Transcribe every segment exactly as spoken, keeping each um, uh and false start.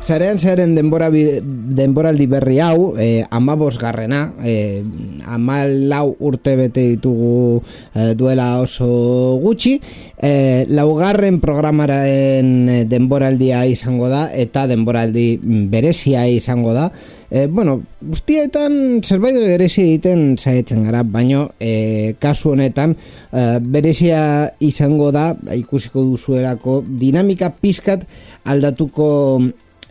Zarean zearen denbora denboraldi berri hau, eh, amabosgarrena, eh, amalau urte bete ditugu eh, duela oso gutxi, eh, laugarren programaren denboraldia izango da, eta denboraldi berezia izango da. Eh, bueno, guztietan zerbait berezia egiten saietzen gara, baino eh, kasu honetan eh, berezia izango da, ikusiko duzuelako dinamika pizkat aldatuko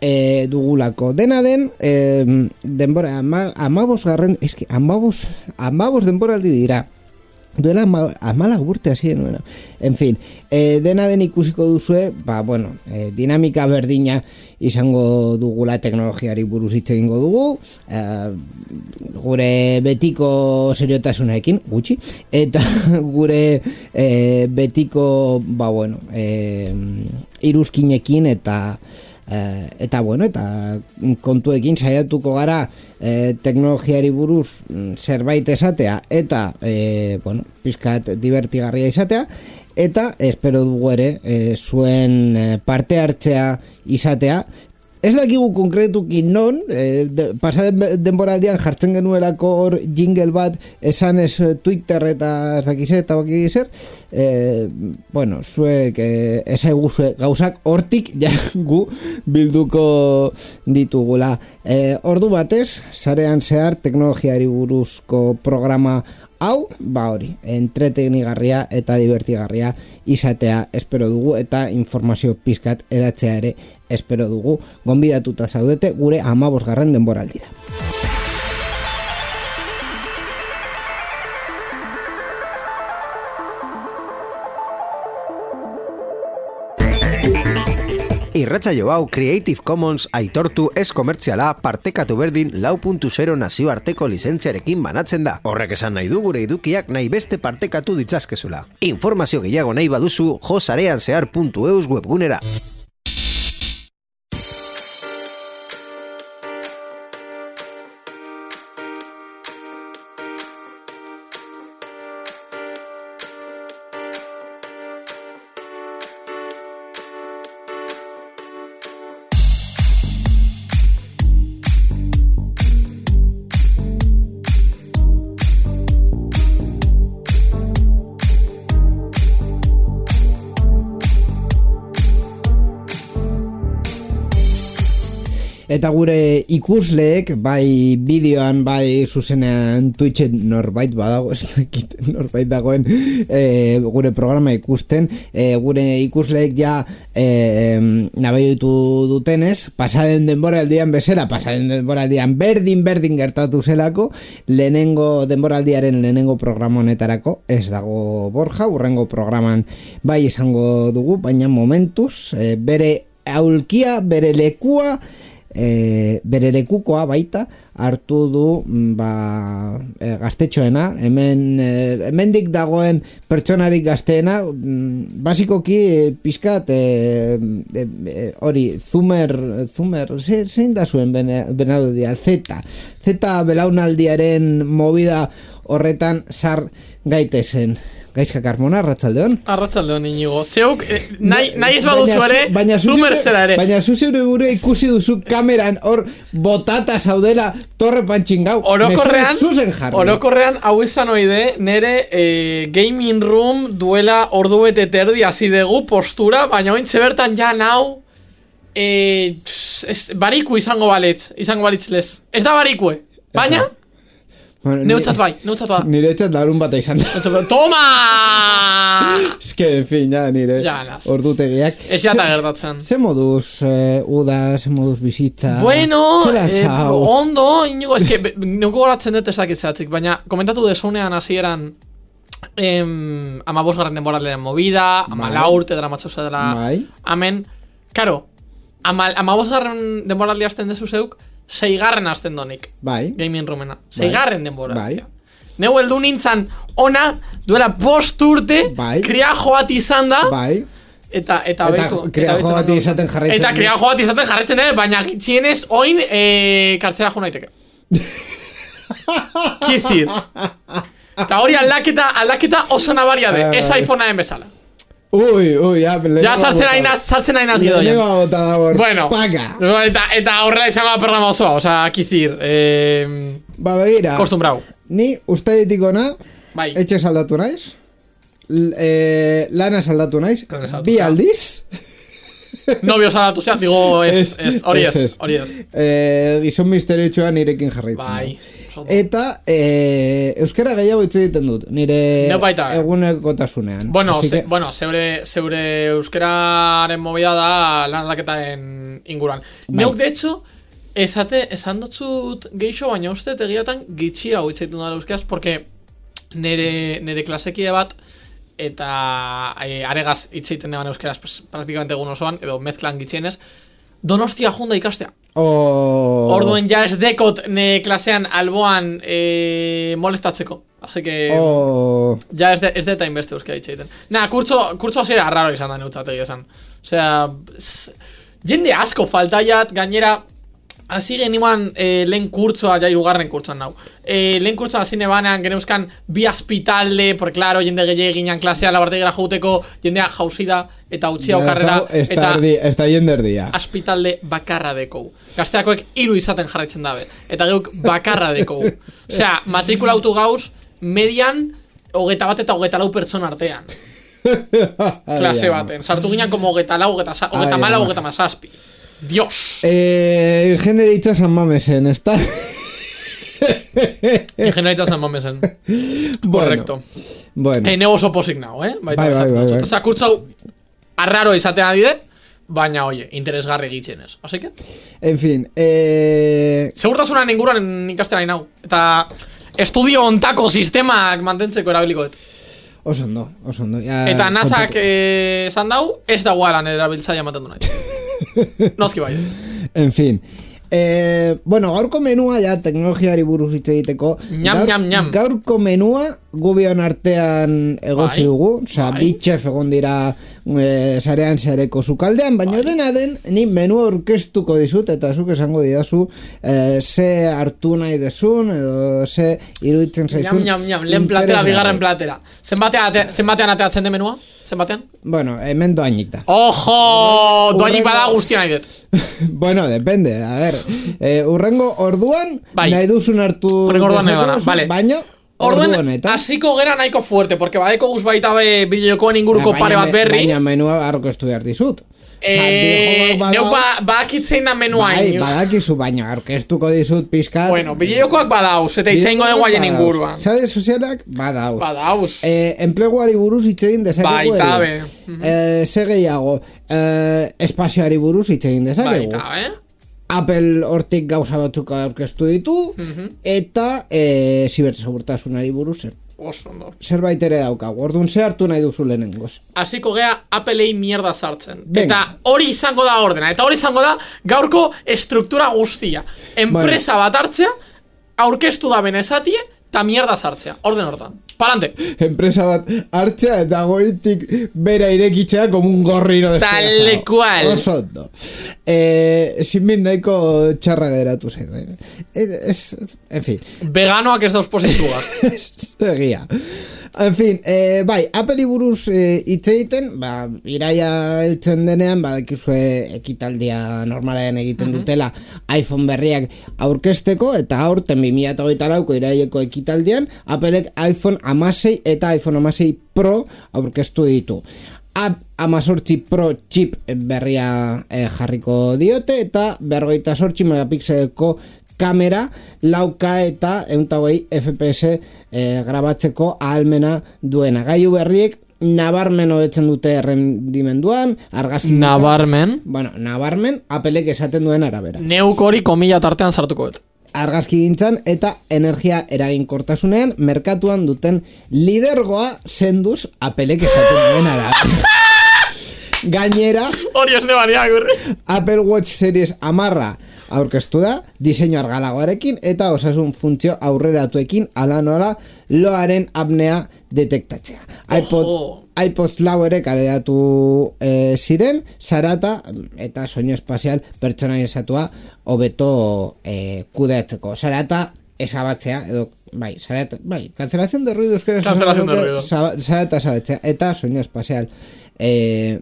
e, dugulako. Dena den, e, denbora, ama, amabos garren, eski, amabos, amabos denboraldi dira. Duela ama, amala urte hasi nuena. En fin, e, dena den ikusiko duzue, ba, bueno, e, dinamika berdina izango dugula, teknologiari buruz hitz egingo dugu, e, gure betiko seriotasunarekin, gutxi, eta gure e, betiko, ba, bueno, e, iruzkinekin eta Eh, eta bueno, eta kontuekin saiatuko gara eh, teknologiari buruz zerbait esatea eta eh, bueno, pizkat divertigarria izatea, eta espero dugu ere eh, zuen eh, parte hartzea izatea. Ez dakigu konkretuki non, eh, de, pasaden denboraldian jartzen genuelako hor jingle bat esan ez Twitter eta ez dakize eta baki zer, eh, bueno, zuek eh, esaiguzue gauzak hortik ja gu bilduko ditugula. Eh, ordu batez, sarean zehar teknologiari buruzko programa hau, ba hori, entretenigarria eta divertigarria izatea espero dugu, eta informazio pizkat edatzea ere espero dugu. Gonbidatuta zaudete gure amabosgarren denboraldira. Irratsaio hau Creative Commons aitortu ez komertziala partekatu berdin lau puntu zero nazioarteko lizentziarekin banatzen da. Horrek esan nahi du gure edukiak nahi beste partekatu ditzazkezula. Informazio gehiago nahi baduzu jo sareanzehar puntu eus webgunera. Eta gure ikusleek, bai bideoan, bai zuzenean Twitchen norbait badago, ez dakit norbait dagoen e, gure programa ikusten, e, gure ikusleek ja e, nabaitu dutenez, pasaden denboraldian bezala, pasaden denboraldian berdin-berdin gertatu zelako, lehenengo denboraldiaren lehenengo programa honetarako, ez dago Borja, urrengo programan bai izango dugu, baina momentuz, e, bere aulkia, bere lekua, E, bere lekukoa baita hartu du ba, e, gaztetxoena, hemen e, hemendik dagoen pertsonarik gazteena, basikoki e, pizkat e, e, e, hori Zumer, Zumer zein da zuen benaldia, Zeta Zeta belaunaldiaren movida horretan sar gaitezen. Gaizka Carmona, arratsaldeon. Arratsaldeon, Inigo. Zeuk, eh, nahi, nahi ez baduzu ere, Zumer zera ere. Baina zu zeure gure ikusi duzu kameran hor botata zaudela torre pantxingau. Orokorrean, orokorrean hau izan oide, nere eh, gaming room duela ordu bete terdi hasi dugu postura, baina ointze bertan ja nau eh, es, bariku izango balet, izango balitz lez. Ez da barikue, baina... Bueno, neutzat bai, neutzat bai. Nire etxat larun bat izan da. Toma! Ez que, en fin, ja, nire ja, ordutegiak. Ez jata gertatzen. Ze moduz eh, uda, ze moduz bizitza? Bueno, eh, ondo, Inigo, ez que, neuko goratzen dut ezakitzeatzik, baina komentatu desunean hasieran em, ama bosgarren denboraldearen movida, ama bai. Laurte dramatzosa dela, bai. Amen, karo, ama, ama bosgarren denboraldi hasten dezu zeuk, seigarren hasten donik. Bai. Gaming roomena. Seigarren denbora. Bai. Neu heldu nintzan ona, duela bost urte, bai. Kriajo bat izan da. Bai. Eta, eta, eta kriajo bat izaten jarraitzen. Eta kriajo bat izaten jarraitzen, eh? Baina txienez, oin, eh, kartzera jo naiteke. Kizir. Eta hori aldaketa, aldaketa oso nabaria de. Ez iPhoneaen bezala. Ui, ui, ya. Ya sartzen ainaz, sartzen ainaz gido. Bueno, Paca. eta, eta horrela izango da programa osoa, oza, kizir. Eh, ba, begira. Kostumbrau. Ni, uste ditikona, bai. etxe saldatu naiz. Eh, lana saldatu naiz. Bi aldiz. Novio saldatu zea, digo, ez, ez, hori ez, hori ez. Eh, gizon misteriotsua nirekin jarraitzen. Bai. Eta eh, euskara gehiago hitz egiten dut, nire egunekotasunean. Bueno, que... ze, bueno zeure, zeure euskararen movida da lan aldaketaren inguruan. Bai. Neuk, de hecho, esate, esan dutzut geixo, baina uste egiatan gitxi hau hitz egiten dut euskaraz, porque nire, nire klasekie bat, eta e, aregaz hitz egiten neban euskaraz pues, praktikamente egun osoan, edo mezklan gitxienez, Donostia junda ikastea. Oh. Orduen ja ez dekot ne klasean alboan e, molestatzeko. Así que oh. ja ez de, ez de time beste euskara itxeiten. Na, kurtzo, kurtzo hasiera arraro izan da neutzategi esan. Osea, jende asko faltaiat, gainera hasi genimoan e, lehen kurtzoa, ja irugarren kurtzoan nau. E, lehen kurtzoa hasi nebanean geneuzkan bi aspitalde, porque claro, jende gehiagin ginean klasea labartegera jauteko, jendea jauzida eta utxia okarrera, eta ez da jende erdia. Aspitalde bakarra dekou. Gazteakoek hiru izaten jarraitzen dabe, eta geuk bakarra dekou. Osea, matrikula autu gauz, median, hogeta bat eta hogeta lau pertsona artean. Klase baten. Sartu ginean como hogeta lau, hogeta mala, hogeta mazazpi. Dios. Eh, Ingenieritza San Mamesen, ¿está? Ingenieritza San Mamesen. Correcto. Bueno. Eh, nego oso posik nao, eh? Bai, bai, bai, bai. Osea, kurtzau arraro izatea dide, baina, oye, interesgarri egitzenez. Así que? En fin, eh... segurtasunan inguruan ikasten nahi nau. Eta estudio ontako sistemak mantentzeko erabiliko dut. Oso ondo, oso ondo. Ja, eta nasak esan eh, dau, ez da guaran erabiltzaia ematen du nahi. Noski bai. En fin. Eh, bueno, gaurko menua ja teknologiari buruz hitz egiteko. Ñam, gaur, ñam, ñam. Gaurko menua gubion artean egozi dugu, osea, bi chef egon dira e, sarean zareko sukaldean, baina bai. Dena den, ni menua orkestuko dizut, eta zuk esango didazu e, ze hartu nahi desun, edo ze iruditzen zaizun. Ñam, ñam, ñam, lehen platera, bigarren platera. Zenbatean, zenbatean ateatzen de menua? Zenbatean? Bueno, hemen doainik da. Ojo! Doainik bada guztia nahi dut. Bueno, depende, a ver. Eh, urrengo orduan, bai. Nahi duzun hartu dezakezu, vale. Baina orduan, hasiko gera nahiko fuerte, porque badeko guz baita be bideokoen inguruko pare bat berri. Baina menua aurkeztu behar dizut. Eh, neu ba, bakitzein da menua bai, badakizu, baina aurkeztuko dizut pizkat. Bueno, bideokoak badauz, eta itzaingo de guaien inguruan. Sare sozialak badauz. Badauz. Eh, enpleguari buruz hitzein dezakegu. Baita be. Eh, ze gehiago, eh, espazioari buruz hitzein dezakegu. Baita be. Apple hortik gauza batzuk aurkeztu ditu, uh-huh. Eta e, zibersegurtasunari buruz zer. Osondo. Zerbait ere daukagu, orduan ze hartu nahi duzu lehenengoz. Hasiko gea Applei mierda sartzen. Venga. Eta hori izango da ordena, eta hori izango da gaurko estruktura guztia. Enpresa bueno. Bat hartzea, aurkeztu da benezatie, eta mierda sartzea. Orden hortan. Palante. Enpresa bat hartzea eta goitik bera irekitzea como un gorrino despedazado. Tal cual. Oso ondo. Eh, sin min nahiko txarra geratu zen. Es, en fin. Veganoak ez dauz positugaz. Egia. En fin, eh, bai, Apple buruz hitz eh, egiten, ba, iraia heltzen denean, badakizue ekitaldia normalean egiten uh-huh. dutela iPhone berriak aurkezteko, eta aurten bi mila hogeita lauko iraieko ekitaldian, Applek iPhone hamasei eta iPhone hamasei Pro aurkeztu ditu. Amazortzi Pro chip berria eh, jarriko diote, eta berrogeita zortzi megapixeleko kamera lauka eta ehunta hogei F P S eh, grabatzeko ahalmena duena. Gailu berriek nabarmen hobetzen dute errendimenduan, argazki nabarmen? Bueno, nabarmen Applek esaten duen arabera. Neuk hori komila tartean sartuko dut. Argazki gintzan eta energia eraginkortasunean merkatuan duten lidergoa senduz Applek esaten duen arabera. Gainera, hori ez nebania, gurri. Apple Watch Series hamarra aurkeztu da, diseinu argalagoarekin eta osasun funtzio aurreratuekin ala nola loaren apnea detektatzea. iPod, iPod lau ere kaleratu e, ziren, zarata eta soinu espazial pertsonalizatua hobeto e, kudeatzeko. Zarata esabatzea, edo, bai, zarata, bai, cancelación de ruido euskera. Cancelación de ruido. Zarata esabatzea eta soinu espazial e,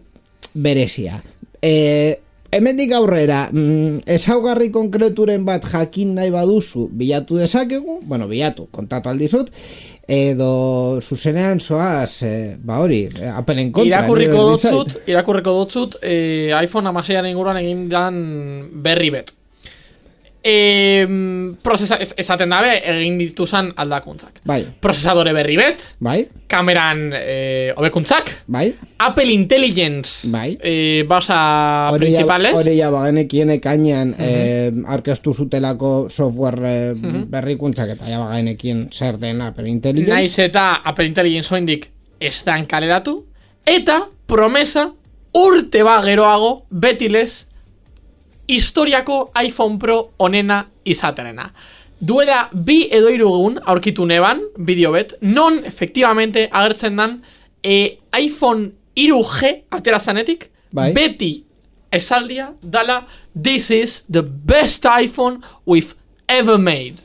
berezia. E, hemendik aurrera, mm, ezaugarri konkreturen bat jakin nahi baduzu, bilatu dezakegu, bueno, bilatu, kontatu aldizut, edo zuzenean zoaz, e, ba hori, Appleen kontra. Irakurriko dutzut, irakurriko dutzut, e, iPhone hamaseiaren inguruan egin dan berri bet. E, procesa, ez, ezaten dabe egin dituzan aldakuntzak. Bai. Prozesadore berri bet, bai. Kameran e, hobekuntzak, bai. Apple Intelligence, bai. E, basa principales. Hori ja bagenekien ekainean uh -huh. e, arkeztu zutelako software e, uh -huh. berrikuntzak eta ja bagenekien zer den Apple Intelligence. Naiz eta Apple Intelligence oindik ez dan kaleratu, eta promesa urte ba geroago betilez historiako iPhone Pro onena izaterena. Duela bi edo hiru egun aurkitu neban, bideo bet, non efektibamente agertzen dan e, iPhone hiru G atera zanetik, bai. Beti esaldia dala, this is the best iPhone we've ever made.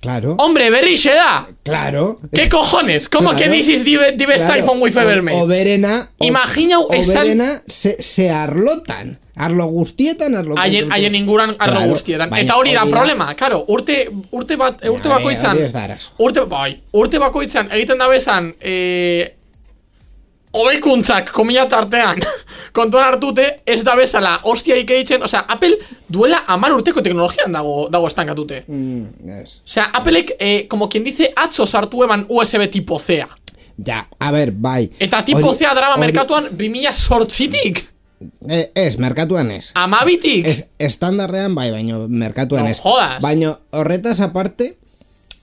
Claro. Hombre, berrixe da. Claro. ¿Qué cojones? ¿Cómo claro. que this is the, the best claro. iPhone we've ever made? Oberena. Imaginau esan... Oberena se, se arlotan. Arlo guztietan, arlo haien, haien inguran arlo claro, guztietan. Baina, eta hori da problema, claro, urte, urte, bat, urte ja, bakoitzan, urte, bai, urte bakoitzan egiten da bezan, eh, hobekuntzak, komila tartean, kontuan hartute, ez da bezala, hostiaik egiten, osea, Apple duela hamar urteko teknologian dago, dago estankatute. Mm, yes. Osea, Appleek, eh, como quien dice, atzo sartu eban U S B tipo C-a. Ja, a ber, bai. Eta tipo C-a drama merkatuan bi mila zortzitik. Eh, ez, merkatuan ez. Amabitik. Ez, estandarrean bai, baino merkatuan no ez. Jodas. Baino horretaz aparte,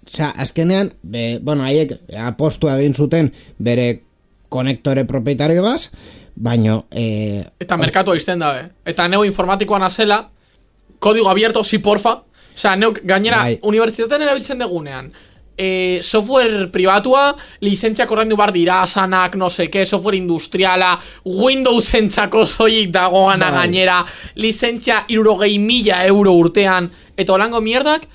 osea, azkenean, be, bueno, haiek apostu egin zuten bere konektore propietario baz, baino... Eh, eta merkatua izten dabe. Eta neu informatikoan azela, kodigo abierto, si porfa. Osea, neu gainera, bai. Unibertsitatean erabiltzen degunean. Eh, software pribatua, lizentziak ordaindu bar dira, sanak, no seke, software industriala, Windows entzako zoik dagoana bai. Gainera, lizentzia hirurogei mila euro urtean, eta holango mierdak,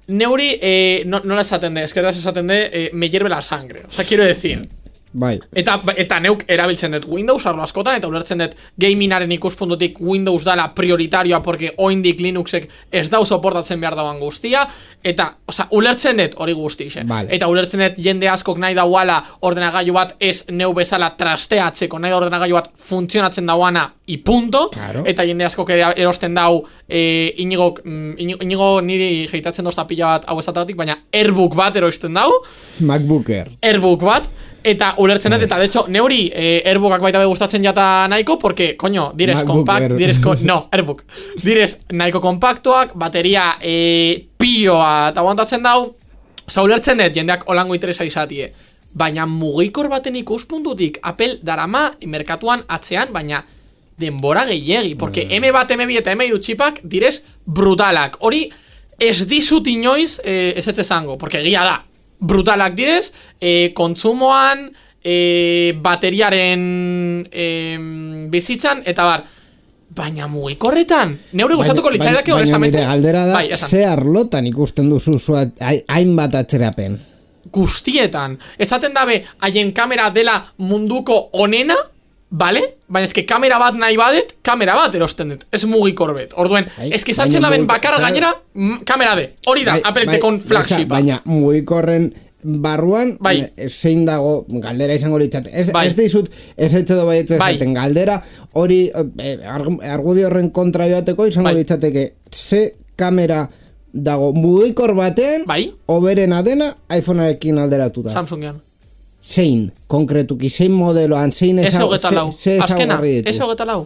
neuri, eh, no, nola esaten de, eskerraz esaten de, eh, me hierve la sangre. O sea, quiero decir... Bai. Eta, eta neuk erabiltzen dut Windows arlo askotan, eta ulertzen dut gamingaren ikuspuntutik Windows dala prioritarioa, porque oindik Linuxek ez dau soportatzen behar dauan guztia, eta, oza, ulertzen dut hori guztixe. Vale. Eta ulertzen dut jende askok nahi dauala ordenagailu bat ez neu bezala trasteatzeko, nahi da ordenagailu bat funtzionatzen dauana, i punto, claro. Eta jende askok erosten dau, e, inigo, inigo, inigo niri jeitatzen dozta pila bat hau esatatik, baina Airbook bat erosten dau. MacBooker. Airbook bat. Eta ulertzen dut, eta de hecho, neuri eh, Airbookak baita be gustatzen jata nahiko, porque, coño, direz kompakt, direz, ko, no, Airbook, direz nahiko kompaktuak, bateria eh, pioa eta aguantatzen dau, oza, ulertzen dut, jendeak olango interesa izatie, baina mugikor baten ikuspuntutik, Apple darama merkatuan atzean, baina denbora gehiegi, porque M bat, M bi eta M hiru txipak direz brutalak, hori ez dizut inoiz eh, ez ez esango, porque egia da, brutalak direz, e, kontsumoan, e, bateriaren e, bizitzan, eta bar, baina mugikorretan, neure gustatuko litzaidake honestamente. Baina nire galdera da, bai, ze arlotan ikusten duzu hainbat atzerapen? Guztietan. Ezaten dabe, haien kamera dela munduko onena, vale? Baina eske kamera bat nahi badet, kamera bat erosten dut, ez mugikor bet. Orduen, eske esatzen daben bakarra gainera, gainera de, hori da, Apple-tekon flagshipa. Baina mugikorren barruan, bai. Zein dago, galdera izango litzat. Ez, bai. Ez dizut, ez etxedo bai etxezaten, bai. Galdera, hori, eh, argudio horren kontra joateko izango bai. Litzateke, ze kamera dago mugikor batean, bai. Oberena dena, iPhonearekin alderatuta. Samsungean. Zein, konkretuki, zein modeloan, zein ezaugarri ditu. Eso geta lau.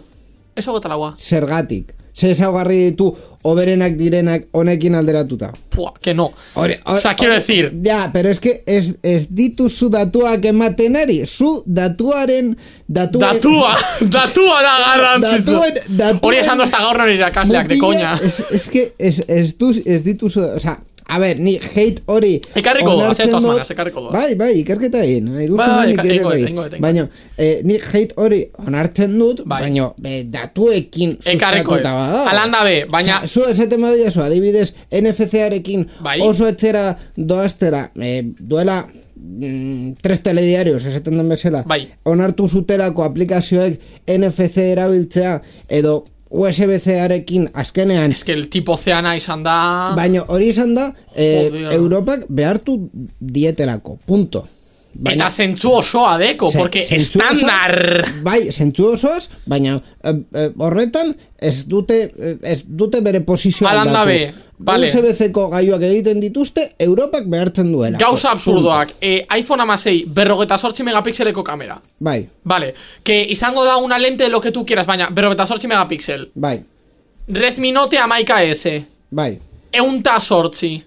Eso geta laua. Zergatik. Ze ezaugarri ditu oberenak direnak honekin alderatuta. Pua, que no. Ore, ore, o sea, quiero decir. Ya, pero es que ez, ez ditu zu datuak ematen ari. Zu datuaren... datuaren datua! Datua da garrantzitzu! Hori esan dozta gaur nori irakasleak, de coña. Es, es que ez, ez, du, ez ditu zu... O sea, a ver, ni hate hori... Ekarriko doa, ze toz manas, ekarriko doa. Bai, bai, ikerketa egin. Bai, ekarriko doa. Baina, eh, ni hate hori onartzen dut, bai. Baina, be, datuekin sustatuta bada. Alanda be, baina... Zu esaten badia zu, adibidez, N F C-arekin bai. Oso etxera doaztera, eh, duela mm, tres telediarios, esaten den bezala, bai. onartu zutelako aplikazioek N F C erabiltzea, edo U S B C-arekin azkenean... Ez que el tipo zeana izan da... Baina hori izan da, eh, Europak behartu dietelako, punto. Baina, eta zentzu osoa deko, ze, porque estandar... Bai, zentzu osoaz, baina eh, eh, horretan ez dute, eh, ez dute bere posizioa aldatu. Vale. U S B C-ko gaiuak egiten dituzte, Europak behartzen duela. Gauza absurdoak, eh, iPhone hamasei berrogeta zortzi megapixeleko kamera. Bai. Vale, que izango da una lente de lo que tú quieras, baina berrogeta zortzi megapixel. Bai. Redmi Note hamaika S. Bai. Eunta zortzi.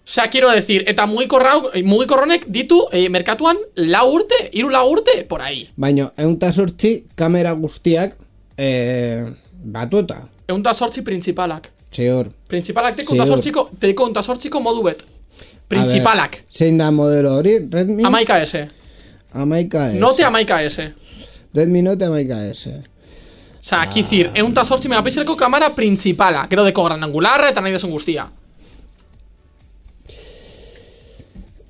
O sea, quiero decir, eta mugikorronek ditu eh, merkatuan lau urte, hiru lau urte, por ahí. Baina, eunta zortzi kamera guztiak eh, batueta. Eunta zortzi principalak. Ziur. Principalak teko eunta zortziko, teko eunta zortziko modu bet. Principalak. Ver, zein da modelo hori? Redmi? Hamaika S. Hamaika S. Note hamaika S. Redmi Note hamaika S. O sea, aquí decir, eunta zortzi megapixeleko kamera principala. Gero deko gran angularra eta nahi desun guztia.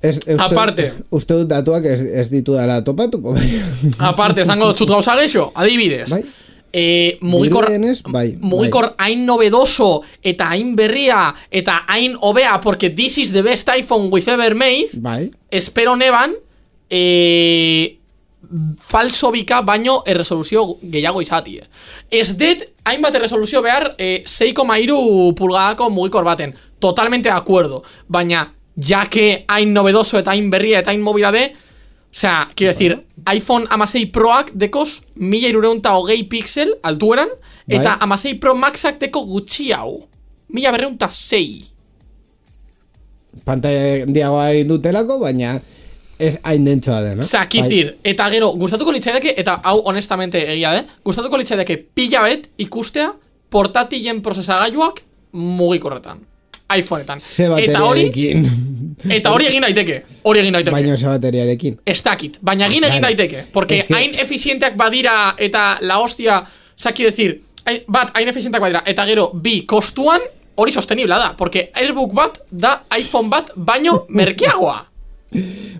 Es, uste, aparte uste dut datuak ez, ez ditu dela topatuko. Aparte, esango dut gauza geixo, adibidez. Bai. Eh, mugikor, bai, mugikor bai. hain novedoso eta hain berria eta hain hobea, porque this is the best iPhone we've ever made. Bai. Espero neban eh, falso bika baino erresoluzio gehiago izatie. Ez det hainbat erresoluzio behar eh, sei koma hiru pulgadako mugikor baten. Totalmente de acuerdo. Baina ya que hain novedoso eta hain berria eta hain movidade, o sea, quiero decir, iPhone hamasei Proak dekos mila hirurehun eta hogei pixel altueran, eta bai. hamasei Pro Maxak deko gutxi hau mila berrehun eta sei. Pantalla handiagoa egin dutelako, baina ez hain dentsoa den, no? O sea, quiero decir, eta gero, gustatuko litzaideke, eta hau honestamente egia de, gustatuko litzaideke pila bet ikustea portatilen prozesagailuak mugikorretan. iPhoneetan. Ze bateriarekin. Eta hori egin daiteke. Hori egin daiteke. Baina ze bateriarekin. Ez dakit. Baina egin egin daiteke. Porque es que... hain efizienteak badira eta la hostia, oza, quiero decir, bat, hain efizienteak badira, eta gero, bi, kostuan, hori sostenibla da. Porque Airbook bat da iPhone bat baino merkeagoa.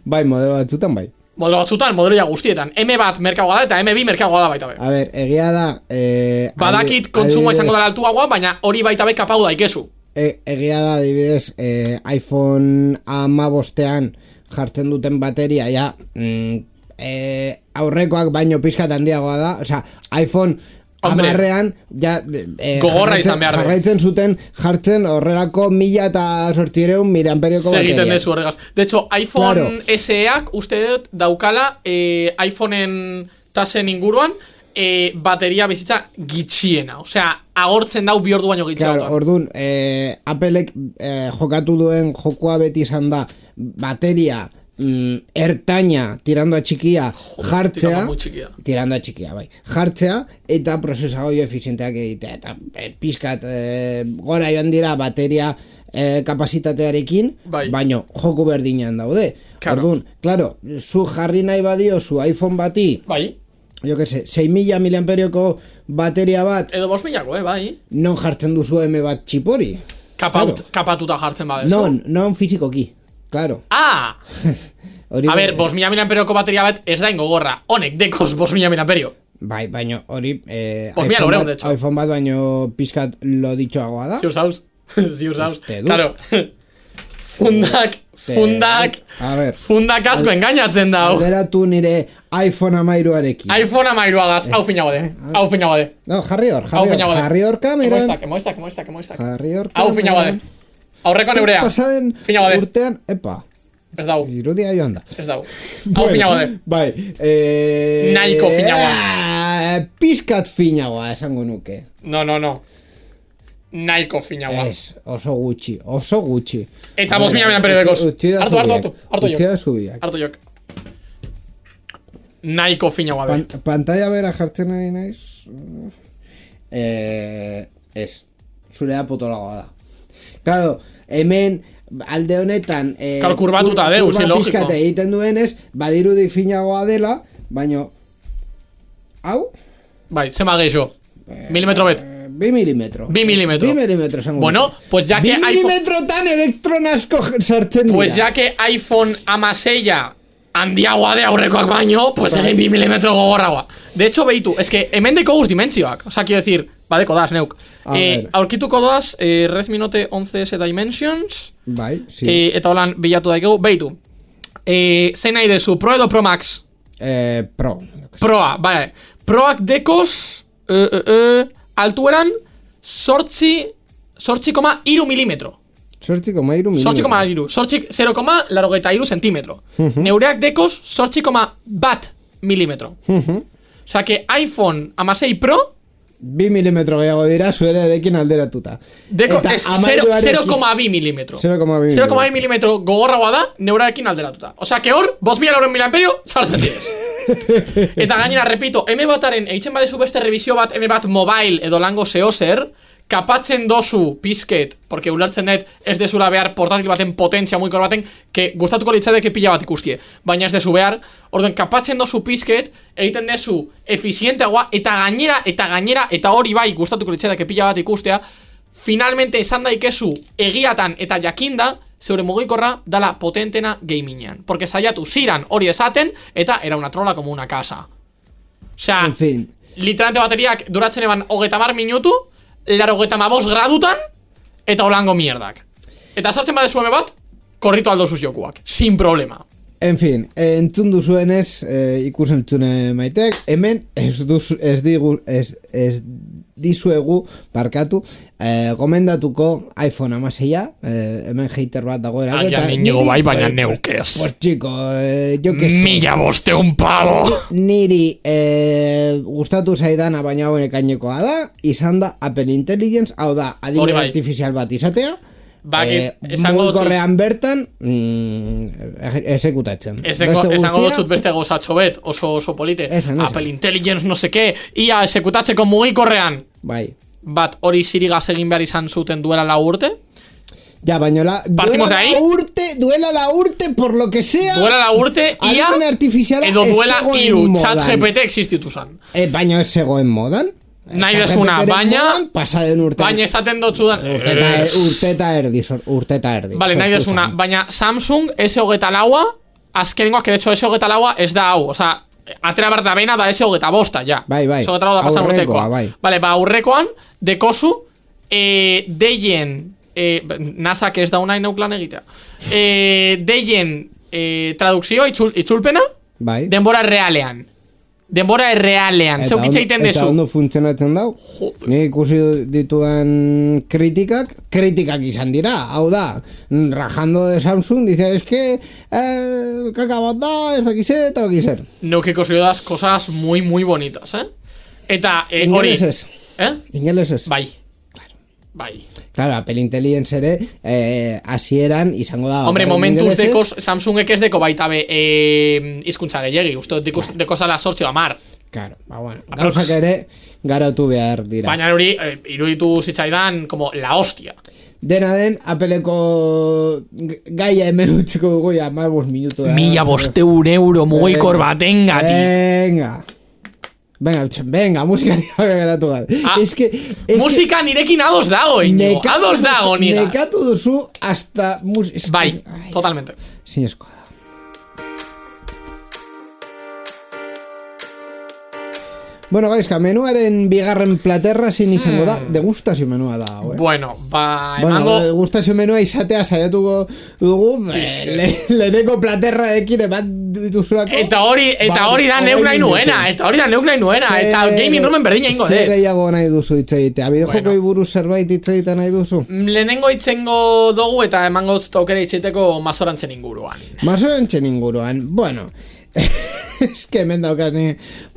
Bai, modelo batzutan bai. Modelo batzutan, modelo ja guztietan. M bat merkeagoa da eta M bi merkeagoa da baita be. A ver, egia da... Eh, Badakit kontsumoa izango dara altuagoa, baina hori baita be kapau daikezu. E, egia da, adibidez, eh, iPhone hamabostean jartzen duten bateria, ja, mm, eh, aurrekoak baino pizkat handiagoa da, osea, iPhone hamarrean, ja, eh, gogorra izan behar. Jarraitzen zuten, jartzen horrelako mila eta sortzireun miliamperioko bateria. Segiten dezu horregaz. De hecho, iPhone claro. S Eak uste dut daukala eh, iPhoneen tasen inguruan, E, bateria bizitza gitxiena. Osea, agortzen dau bi ordu baino gitxiena. Claro, orduan, eh, Applek eh, jokatu duen jokoa beti izan da bateria mm, ertaina tirando a txikia jartzea. Tirando a txikia, bai. Jartzea eta prozesagoio efizienteak egitea. Eta eh, pizkat eh, gora joan dira bateria eh, kapasitatearekin, bai. Baino joku berdinean daude. Claro. Orduan, claro, zu jarri nahi badio zu iPhone bati, bai. Jo que sé, sei mila miliamperioko bateria bat edo bost milako, eh, bai. Non jartzen duzu M bat txipori. Kapaut, claro. Kapatuta jartzen badezu. Non, non fizikoki, claro. Ah! A ver, bost mila miliamperioko bateria bat ez da ingogorra. Honek, dekos bost mila miliamperio. Bai, baino, hori eh, iPhone, iPhone, bat, de hecho. iPhone bat baino pizkat lo ditxoagoa da. Ziur zauz, ziur zauz. Claro. Fundak, fundak, a ver, fundak asko engainatzen dau. Alderatu nire iPhone amairuarekin. iPhone amairuagaz, hau finago de, hau finago de. No, jarri hor, jarri hor, jarri hor kameran. Emoiztak, emoiztak, emoiztak, emoiztak. Jarri hor kameran. Hau finago de. Aurreko neurea. Pasaden urtean, epa. Ez dau. Irudia joan da. Ez dau. Hau finago de. Bai. Eh, Nahiko finagoa. Pizkat finagoa, esango nuke. No, no, no. Nahiko finagoa. Ez, oso gutxi, oso gutxi. Eta bost mila miliamperio dekos. Hartu, hartu, hartu. Hartu jok. Hartu jok. Nahiko finagoa. Pan, pantalla bera jartzen ari naiz. Eh, ez. Zurea potolagoa da. Claro, hemen alde honetan eh, claro, kurbatuta deu, si logiko. Pizkate egiten duenez, badirudi finagoa dela, baino hau? Bai, zema geixo. Milimetro bet. Bi milimetro. Bi milimetro. Bi milimetro esango. Bueno, pues ya que Bi milimetrotan elektronasko sartzen dira. Pues ya que iPhone amaseia handiagoa de aurrekoak baino, pues egin bi milimetro gogorragoa. De hecho, beitu, es que hemen deko guz dimentsioak. O sea, quiero decir, badeko das, neuk. Eh, aurkituko doaz, eh, Redmi Note once S Dimensions. Bai, sí. Eh, eta holan bilatu daikegu, beitu. Eh, zein nahi dezu, Pro edo Pro Max? Eh, Pro. Proa, vale. Proak dekos, eh, eh, eh, altueran, sortzi, sortzi koma iru milimetro. Sortzi koma iru milimetro. Sortzi koma iru. Sortzi, zero koma larogeita iru centimetro. Uh-huh. Neureak dekos, sortzi koma bat milimetro. Uh-huh. Osa, que iPhone amasei Pro bi milimetro gehiago dira, zuera erekin alderatuta. Deko, ez, zero koma bi milimetro. zero koma bi milimetro gogorragoa da, neurarekin alderatuta. Osa, que hor, bost mila lauren mila amperio, sartzen direz. Eta gainera, repito, M bataren, eitzen badezu beste revisio bat, M bat mobile edo lango zehozer, kapatzen dozu pizket, porque ulertzen dut ez dezula behar portatil baten potentzia muikor baten, que gustatuko litzadeke pila bat ikustie, baina ez dezu behar, orden kapatzen dozu pizket, egiten dezu efizienteagoa, eta gainera, eta gainera, eta hori bai gustatuko litzadeke pila bat ikustea, finalmente esan daikezu egiatan eta jakinda, zeure mugikorra dala potentena gamingean. Porque saiatu ziran hori esaten, eta era una trola como una casa. Osea, en fin. Literalmente bateriak duratzen eban hogeita mar minutu, larogeita mabos gradutan, eta holango mierdak. Eta sartzen badezu eme bat, korritu aldo zuz jokuak. Sin problema. En fin, entzun duzuenez, eh, ikusentzune maitek, hemen ez, duz, ez, digu, ez, ez dizuegu, barkatu, eh, gomendatuko iPhone amaseia, eh, hemen hater bat dagoera. Aia niño bai, baina neukez. Pues chico, eh, yo que sé. Mila boste un pavo. Niri eh, gustatu zaidana, baina hau ekainekoa da, izan da Apple Intelligence, hau da, adibide bai. artifizial bat izatea, Bakit, eh, mugikorrean bertan mm, exekutatzen. Esango dutxut beste gozatxo bet, oso, oso polite. Esan, esan. Apple Intelligence no se ke, ia exekutatzeko mugikorrean. Bai. Bat, hori zirigaz egin behar izan zuten duela lau urte. Ja, baina la, Partimos duela la urte, duela la urte, por lo que sea. Duela la urte, ia, edo duela iru, chat G P T existitu zan. Eh, baina ez zegoen modan. Nahi desuna, baina pasaden urte. Baina esaten dotzu da Urteta erdi, urteta erdi. Vale, nahi desuna, baina Samsung S hogeita laua, azkenengoak, que de hecho S hogeita laua ez da hau. Osa, atera behar da bena da S hogeita bosta, ja. Bai, bai. S hogeita laua da pasan urtekoa. Bai. Vale, ba, aurrekoan, dekozu, eh, deien, eh, nasak ez daunai neuklan egitea, eh, deien eh, tradukzioa, itzul, itzulpena, bai. denbora realean. Denbora errealean, zeukitza egiten dezu. Eta ondo funtzionatzen dau. Ni ikusi ditudan kritikak, kritikak izan dira. Hau da, rajando de Samsung, dice, es que eh, kakabat da, ez dakize, eta dakizer. Neuk ikusi das cosas muy, muy bonitas, eh? Eta, eh, hori... Ingelesez. Eh? Ingelesez. Bai. Claro. Bai. Claro, Apple Intelligence ere eh, asieran izango da. Hombre, momentuz dekos, Samsungek ez deko baita be eh, izkuntza gehiagi, uste deko, claro. Deko zala sortxo amar. Claro, ba bueno, gauzak ere garatu behar dira. Baina hori, eh, iruditu zitzaidan como la hostia. Dena den, Appleko gaia hemen utziko dugu ya, más minutu da. Mila bosteun euro mugikor batengatik. Venga. Venga, venga, musika nire geratu gara. Ah, es que, es musika que nirekin ados dago, Iñigo. Ados dago, niga. Nekatu duzu hasta... Es bai, que, ay, totalmente. Sin escoda. Bueno, gaizka, menuaren bigarren platerra zin izango da, mm. degustazio menua da, eh? Bueno, ba, bueno, emango... degustazio menua izatea saiatuko dugu, le, leheneko platerra ekin ebat dituzulako. Eta hori, eta hori da neuk nahi nuena, eta hori da neuk nahi nuena, eta gaming roomen berdina ingo, eh? Zer gehiago nahi duzu itzegitea, bidejoko bueno. Buruz zerbait itzegitea nahi duzu? Lehenengo itzengo dugu eta emango aukera itzeiteko mazorantzen inguruan. Mazorantzen inguruan, bueno... Es que hemen daukatni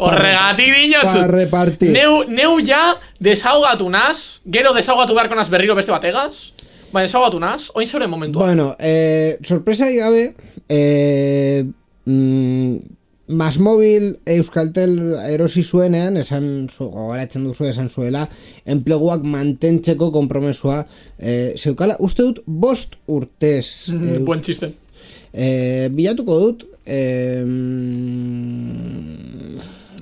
horregatik dinotzu neu, neu ja desaugatu naz, gero desaugatu beharko naz berriro beste bategaz, baina desaugatu naz, oin zeure momentua. Bueno, eh, sorpresa igabe, eh, mm, Masmobil Euskaltel erosi zuenean, esan zu, gogoratzen duzu esan zuela, enpleguak mantentzeko konpromesua eh, zeukala, uste dut bost urtez. Eh, Buen txiste. Eh, bilatuko dut, Eh,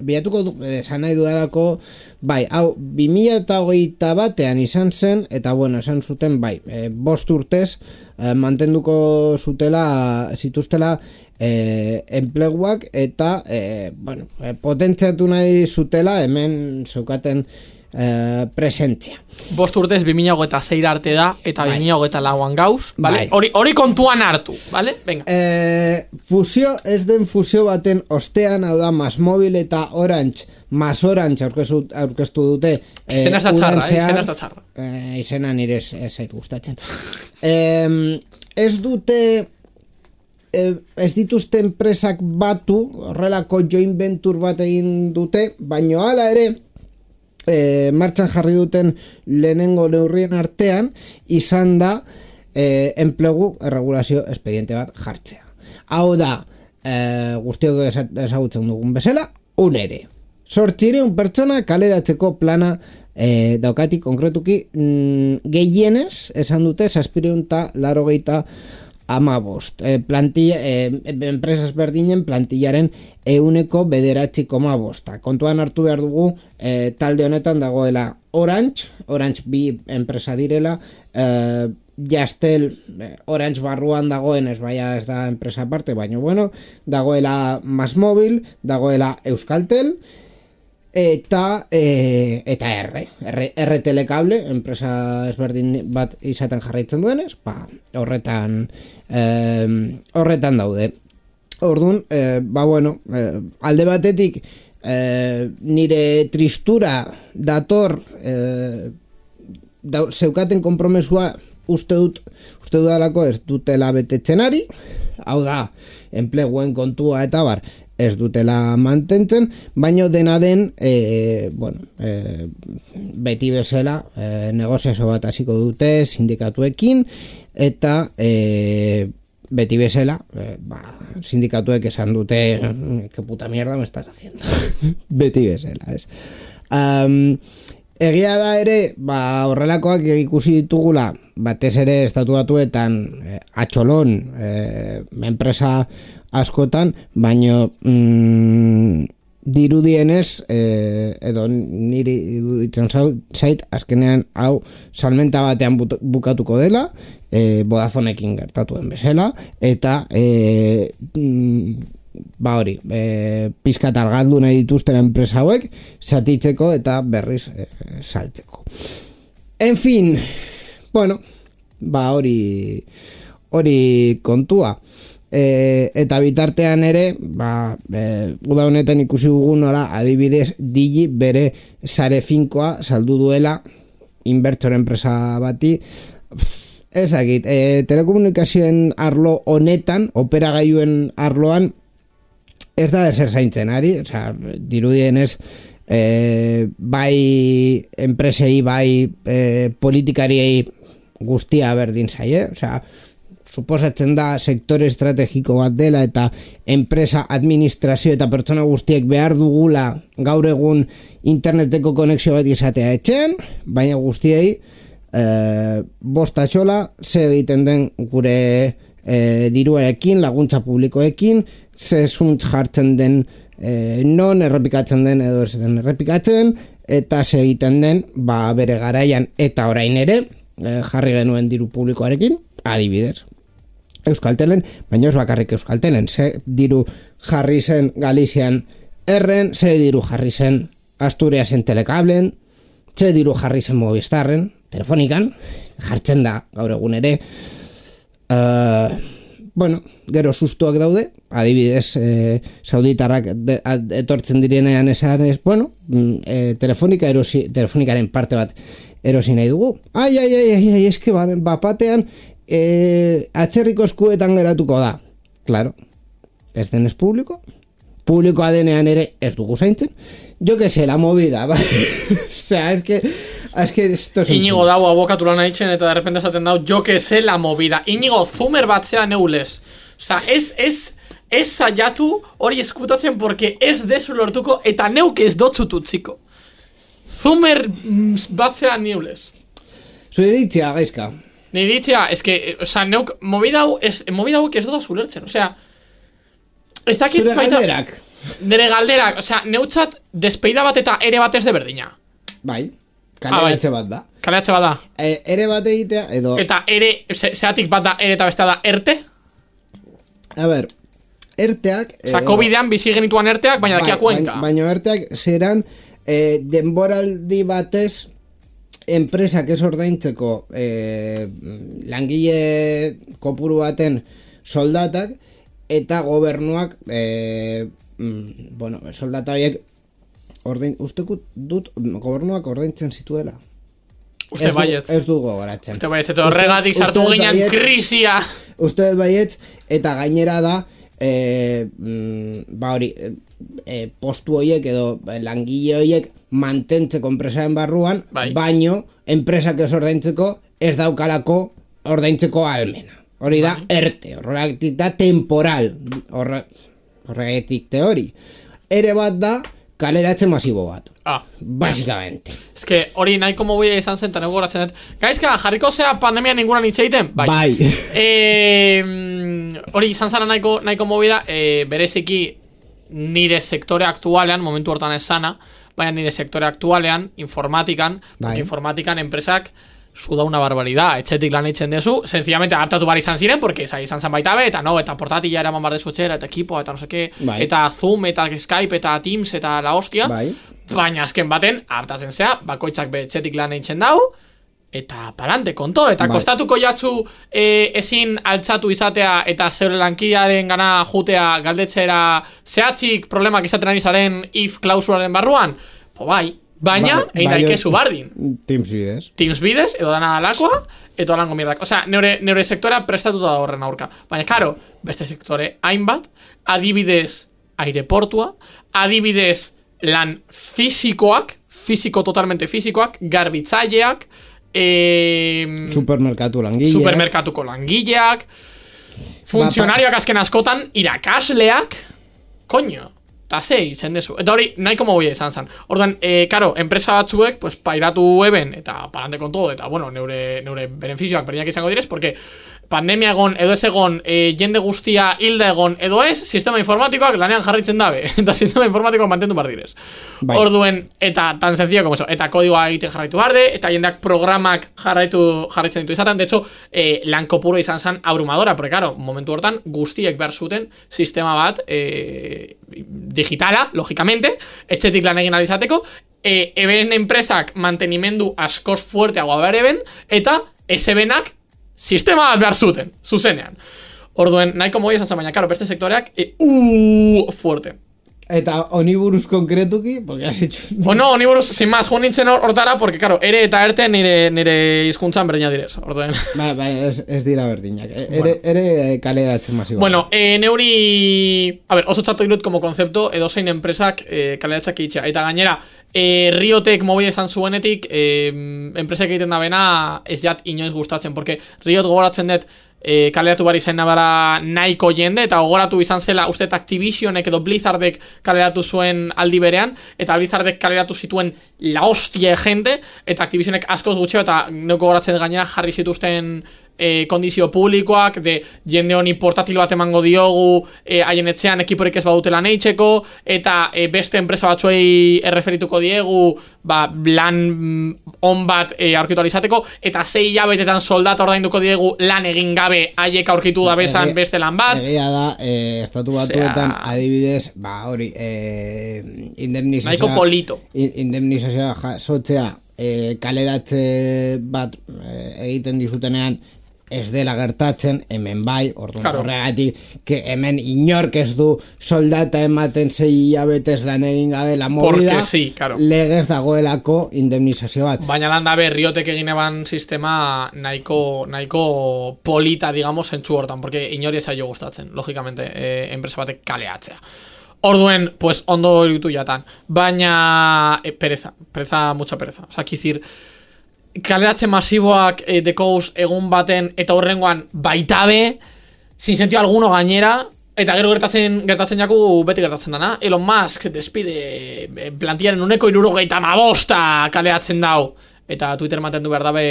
bilatuko du, esan nahi dudalako, bai, hau, bi mila hogeita batean izan zen, eta bueno, esan zuten, bai, e, bost urtez, e, mantenduko zutela, zituztela, e, enpleguak, eta, e, bueno, e, potentziatu nahi zutela, hemen zeukaten e, presentzia. Bost urtez bi mila hogeita sei arte da, eta bai. bi mila hogeita lauan gauz, vale? Hori bai. kontuan hartu, vale? Venga. E, fusio, ez den fusio baten ostean, hau da, Masmobil eta Orange, Mas Orange aurkeztu, aurkeztu dute. E, izena ez da txarra, eh? Izena ez da txarra. E, izena nire ez zait gustatzen. E, ez dute, e, ez dituzte enpresak batu, horrelako joint venture bat egin dute, baino hala ere, E, martxan jarri duten lehenengo neurrien artean izan da e, enplegu erregulazio espediente bat jartzea. Hau da, e, guztiok ezagutzen dugun bezala, un ere. Zortzireun pertsona kaleratzeko plana e, daukatik konkretuki mm, gehienez esan dute zazpireun eta larogeita amabost. E, plantilla, e, enpresas berdinen plantillaren euneko bederatzi koma bosta. Kontuan hartu behar dugu e, talde honetan dagoela Orange, Orange bi enpresa direla, e, Jastel, Orange barruan dagoen ez baina ez da enpresa aparte, baina bueno, dagoela Masmobil, dagoela Euskaltel, eta e, eta R, R, R Telecable, enpresa ezberdin bat izaten jarraitzen duenez, ba, horretan e, horretan daude. Orduan, e, ba bueno, e, alde batetik e, nire tristura dator e, da, zeukaten konpromesua uste dut uste dudalako ez dutela betetzen ari, hau da, enpleguen kontua eta bar, ez dutela mantentzen, baino dena den e, bueno, e, beti bezala e, negoziazio bat hasiko dute sindikatuekin eta e, beti bezala e, ba, sindikatuek esan dute que puta mierda me estás haciendo beti bezala ez. Um, egia da ere ba, horrelakoak ikusi ditugula batez ere estatu batuetan e, atxolon e, enpresa askotan, baino mm, dirudienez eh, edo niri iruditzen zait azkenean hau salmenta batean bukatuko dela, eh, Vodafonekin gertatuen bezala, eta eh, mm, ba hori, eh, pizkat argaldu nahi dituzten enpresa hauek zatitzeko eta berriz eh, saltzeko. En fin, bueno, ba hori hori kontua. E, eta bitartean ere ba, e, uda honetan ikusi dugu nola adibidez Digi bere sare finkoa saldu duela inbertsore enpresa bati. Ezagit, e, telekomunikazioen arlo honetan, operagailuen arloan ez da ezer zaintzen ari, osea, dirudienez e, bai enpresei, bai e, politikariei guztia berdin zaie, osea, suposatzen da sektore estrategiko bat dela eta enpresa, administrazio eta pertsona guztiek behar dugula gaur egun interneteko konexio bat izatea etxean, baina guztiei e, bosta txola ze egiten den gure e, diruarekin, laguntza publikoekin, ze zuntz jartzen den e, non errepikatzen den edo ez den errepikatzen, eta ze egiten den ba, bere garaian eta orain ere e, jarri genuen diru publikoarekin, adibidez Euskaltelen, baina ez bakarrik Euskaltelen, ze diru jarri zen Galizian erren, ze diru jarri zen Asturiasen Telekablen, ze diru jarri zen Movistarren, Telefonikan, jartzen da gaur egun ere. Uh, bueno, gero sustuak daude, adibidez, eh, sauditarrak de, ad, etortzen direnean esan ez, bueno, eh, telefonika erosi, telefonikaren parte bat erosi nahi dugu. Ai, ai, ai, ai, ai, eske bapatean E, atzerriko eskuetan geratuko da. Claro, ez denez publiko, publikoa denean ere ez dugu zaintzen. Jo que se la movida, ba? Osea, es que es que esto es Iñigo dago abokatura nahitzen eta de repente esaten dau jo que se la movida. Iñigo zumer batzea neulez. Osea, ez ez ez saiatu hori eskutatzen porque ez dezu lortuko eta neuk ez dotzutu txiko. Zumer batzea neulez. Zuiritzia, gaizka. Niritzia, es que, o sea, neuk, movida hau, es, movida hau, ez doda zulertzen, o sea, ez dakit zure baita... galderak. nire galderak, osea, neutzat despeida bat eta ere bat ez de berdina. Bai, kaleratze bat da. Kaleratze bat da. E, ere bat egitea, edo... Eta ere, ze, zeatik bat da ere eta beste da erte? A ber, erteak... Osa, covidean bizi genituan erteak, baina dakia kuenka. Baina erteak zeran eh, denboraldi batez enpresak ez ordaintzeko eh, langile kopuru baten soldatak eta gobernuak eh, bueno, soldata horiek ordain, usteko dut gobernuak ordaintzen zituela. Uste baietz. Ez du gogoratzen. Uste baietz, eta horregatik sartu ginen krisia. Uste baietz, eta gainera da, e, ba hori, e, postu horiek edo langile horiek mantentzeko enpresaren barruan, bai. Baino, enpresak ez ordaintzeko, ez daukalako ordaintzeko almena. Hori da, bai. Erte, horregatik da temporal, horre, horregatik teori. Ere bat da, kaleratze masibo bat. Ah. Básicamente. Es que hori nahiko mobila izan zen, eta nego goratzen dut. Gaizka, jarriko zea pandemia ningunan itxeiten? Bai. Bai. e, hori izan zara nahiko, nahiko mobila, e, bereziki nire sektore aktualean, momentu hortan ez sana, baina nire sektore aktualean, informatikan, bai. Informatikan enpresak suda una barbaridad, etxetik lan eitzen dezu, sencillamente adaptatu bar izan ziren, porque esa izan zan baita be, eta no, eta portatila eraman bar dezu etxera, eta ekipo, eta no seke, bai. Eta Zoom, eta Skype, eta Teams, eta la hostia, bai. Baina azken baten, adaptatzen zea, bakoitzak be etxetik lan eitzen dau, eta palante, konto, eta bai. Kostatuko jatzu e, ezin altxatu izatea, eta zeure lankidearen gana jutea galdetzera zehatzik problemak izaten ari zaren if klausularen barruan, po bai, baina, ba, egin daikezu bardin. Teams bidez. Teams bidez, edo dana alakoa, edo alango mierdak. Osea, neure, neure sektorea prestatuta da horren aurka. Baina, karo, beste sektore hainbat, adibidez aireportua, adibidez lan fizikoak, fiziko totalmente fizikoak, garbitzaileak, eh, supermerkatu langileak, supermerkatuko langileak, funtzionarioak azken askotan, irakasleak, koño. Eta ze izen dezu. Eta hori, nahiko mogoia izan zen. Orduan, e, karo, enpresa batzuek, pues, pairatu eben, eta parante con todo, eta, bueno, neure, neure beneficioak berdinak izango direz, porque pandemia egon, edo ez egon, e, jende guztia hilda egon, edo ez, sistema informatikoak lanean jarritzen dabe. Eta sistema informatikoak mantendu bar direz. Bai. Orduen, eta tan sencillo como eso, eta kodigoa egiten jarraitu barde, eta jendeak programak jarraitu jarraitzen ditu izaten. De hecho, e, lan kopuro izan zen abrumadora, porque, karo, momentu hortan, guztiek behar zuten sistema bat, e, digitala, logikamente, etxetik lan egin alizateko, e, eben enpresak mantenimendu askoz fuerteagoa behar eben, eta esebenak sistema bat behar zuten, zuzenean. Orduen, nahiko mogia izan zen, baina, karo, beste sektoreak, e, uh, fuerte. Eta oniburuz konkretuki, porque has hecho... Bueno, oniburuz, sin más, jo nintzen hortara, porque, karo, ere eta erte nire, nire izkuntzan berdina direz, orduen. Ba, ba, ez, ez dira berdinak, ere, bueno. ere kaleratzen masiboa. Bueno, eh, neuri... A ver, oso txarto dirut como konzepto, edo zein enpresak eh, kaleratzak itxea. Eta gainera, eh, Riotek mobile izan zuenetik, eh, enpresak egiten da bena, ez jat inoiz gustatzen, porque Riot gogoratzen dut, E, kaleratu bari zen nabara nahiko jende, eta gogoratu izan zela uste Activisionek edo Blizzardek kaleratu zuen aldi berean, eta Blizzardek kaleratu zituen la hostia jende, eta Activisionek askoz gutxeo, eta neuko gogoratzen gainera jarri zituzten e, kondizio publikoak, de jende honi portatil bat emango diogu e, haien etxean ekiporik ez badutela neitxeko, eta e, beste enpresa batzuei erreferituko diegu, ba, lan on bat e, aurkitu alizateko, eta zei hilabetetan soldata ordainduko diegu lan egin gabe haiek aurkitu da bezan beste lan bat. Egia da, e, estatu batuetan Osea... adibidez, ba, hori, e, indemnizazioa... Nahiko polito. Indemnizazioa jasotzea e, kaleratze bat e, egiten dizutenean ez dela gertatzen, hemen bai, orduan claro. Horregatik, que hemen inork ez du soldata ematen zei hilabetez lan egin gabe la movida, sí, claro. Legez dagoelako indemnizazio bat. Baina lan dabe, Riotek egin eban sistema nahiko, nahiko polita, digamos, zentsu hortan, porque inori ez aio gustatzen, logikamente, eh, enpresa batek kaleatzea. Orduen, pues, ondo irutu jatan. Baina, eh, pereza, pereza, mucha pereza. O sea, kizir, kaleratze masiboak e, dekouz egun baten eta horrengoan baitabe, sin sentido alguno gainera, eta gero gertatzen gertatzen jaku beti gertatzen dana. Elon Musk despide plantillaren uneko irurogeita mabosta kaleatzen dau. Eta Twitter mantendu behar dabe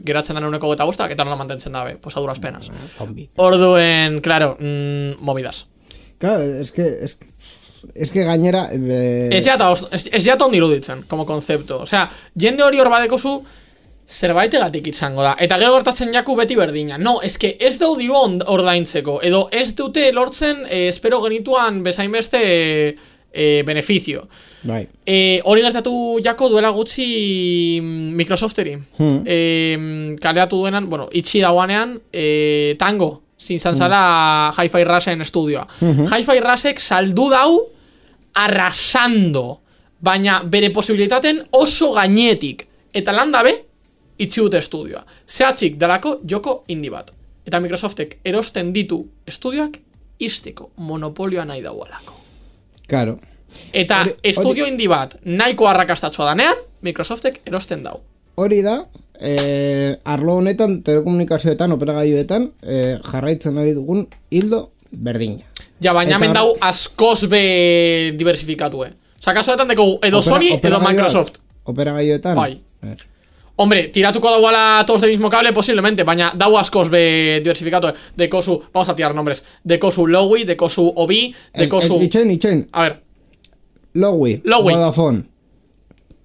geratzen dana uneko geta bostak, eta nola mantentzen dabe, pues a duras penas. Zombie. Orduen, claro, mmm, movidas. Claro, es que, es que Es que gainera... Eh... Ez jata ondi iruditzen, como konzepto. Osea, jende hori hor badekozu, zerbaitegatik izango da. Eta gero gertatzen jaku beti berdina. No, eske ez dau diru ordaintzeko. Edo ez dute lortzen, eh, espero genituan bezainbeste eh, eh, beneficio. Bai. Eh, hori gertatu jako duela gutxi Microsofteri. Hmm. Eh, kaleatu duenan, bueno, itxi dauanean, eh, Tango. Zintzan zala hmm. Hi-Fi Rushen estudioa. Hmm. Hi-Fi Rushek saldu dau arrasando. Baina bere posibilitaten oso gainetik. Eta landabe, itxi dute estudioa. Zehatzik dalako joko indi bat. Eta Microsoftek erosten ditu estudioak izteko monopolioa nahi daualako. Claro. Eta ori, estudio ori... indi bat nahiko arrakastatzua danean, Microsoftek erosten dau. Hori da, eh, arlo honetan, telekomunikazioetan, operagailuetan, eh, jarraitzen ari dugun hildo berdina. Ja, baina hemen dau askoz be diversifikatue. Osa, kasuetan deko edo Opera, Sony edo Microsoft. Operagailuetan? Bai. Er. Hombre, tiratuko dauala todos del mismo cable, posiblemente, baina dau askoz be diversifikatue. Dekozu, vamos a tirar nombres. Dekozu Lowy, dekozu Obi, dekozu... Itxen, itxen. A ver. Lowy, Lowy. Vodafone.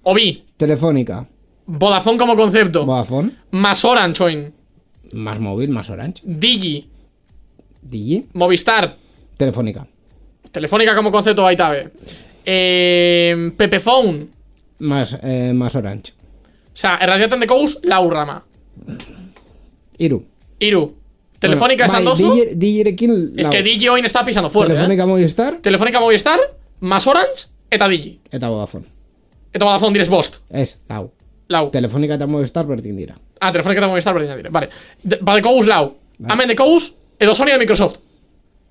Obi. Telefónica. Vodafone como concepto. Vodafone. Más Orange, oin. Más móvil, más Orange. Digi. Digi. Movistar. Telefónica. Telefónica como concepto baitabe. Eh, Pepephone. Más, eh, más Orange. O sea, erradiaten de Cous, lau rama. Iru. Iru. Telefónica bueno, esan dozu. Digirekin. Es que Digi hoy está pisando fuerte. Telefónica, eh? Movistar. Telefónica Movistar, más Orange, eta Digi. Eta Vodafone. Eta Vodafone direz bost. Ez, lau. Lau. Telefónica eta Movistar berdin dira. Ah, Telefónica eta Movistar berdin dira. Vale. De, ba de Cous lau. Vale. Amen de Cous, edo Sony de Microsoft.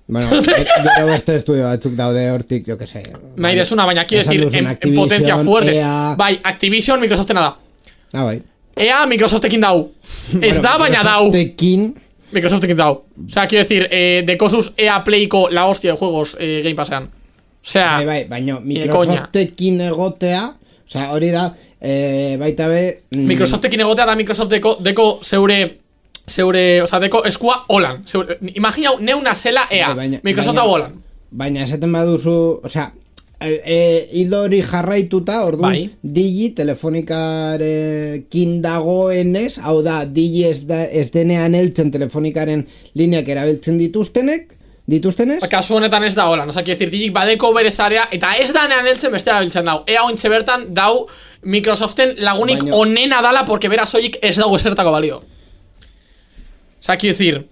Bueno, gero beste estudio batzuk daude hortik, jo que sé. Nahi desuna, baina quiero decir, en, en potencia fuerte. E A... Bai, Activision, Microsoftena da. Ah, bai. E A, Microsoftekin dau. Ez da, baina dau. Microsoftekin. Microsoftekin dau. O sea, quiero decir, eh, de Cosus E A Playko la hostia de juegos eh, Game Passean. O sea, bai, bai, baina Microsoftekin egotea, o sea, hori da, eh, baita be... Mm, Microsoftekin egotea da Microsoft deko, deko zeure... Zeure, o sea, deko eskua holan. Zeure, imagina, neuna zela E A. Bai, baina, Microsoft hau holan. Baina, esaten baduzu, o sea... E, hildo hori jarraituta, orduan, bai. Digi telefonicarekin dagoenez, hau da, Digi ez, da, ez denean heltzen telefonikaren lineak erabiltzen dituztenek, dituztenez? Kasu honetan ez da hola, no? Osa, quiero decir, Digi badeko bere zarea, eta ez da nean heltzen beste erabiltzen dau. Ea ointxe bertan dau Microsoften lagunik baina... onena dala, porque bera soilik ez dago esertako balio. Osa, quiero decir...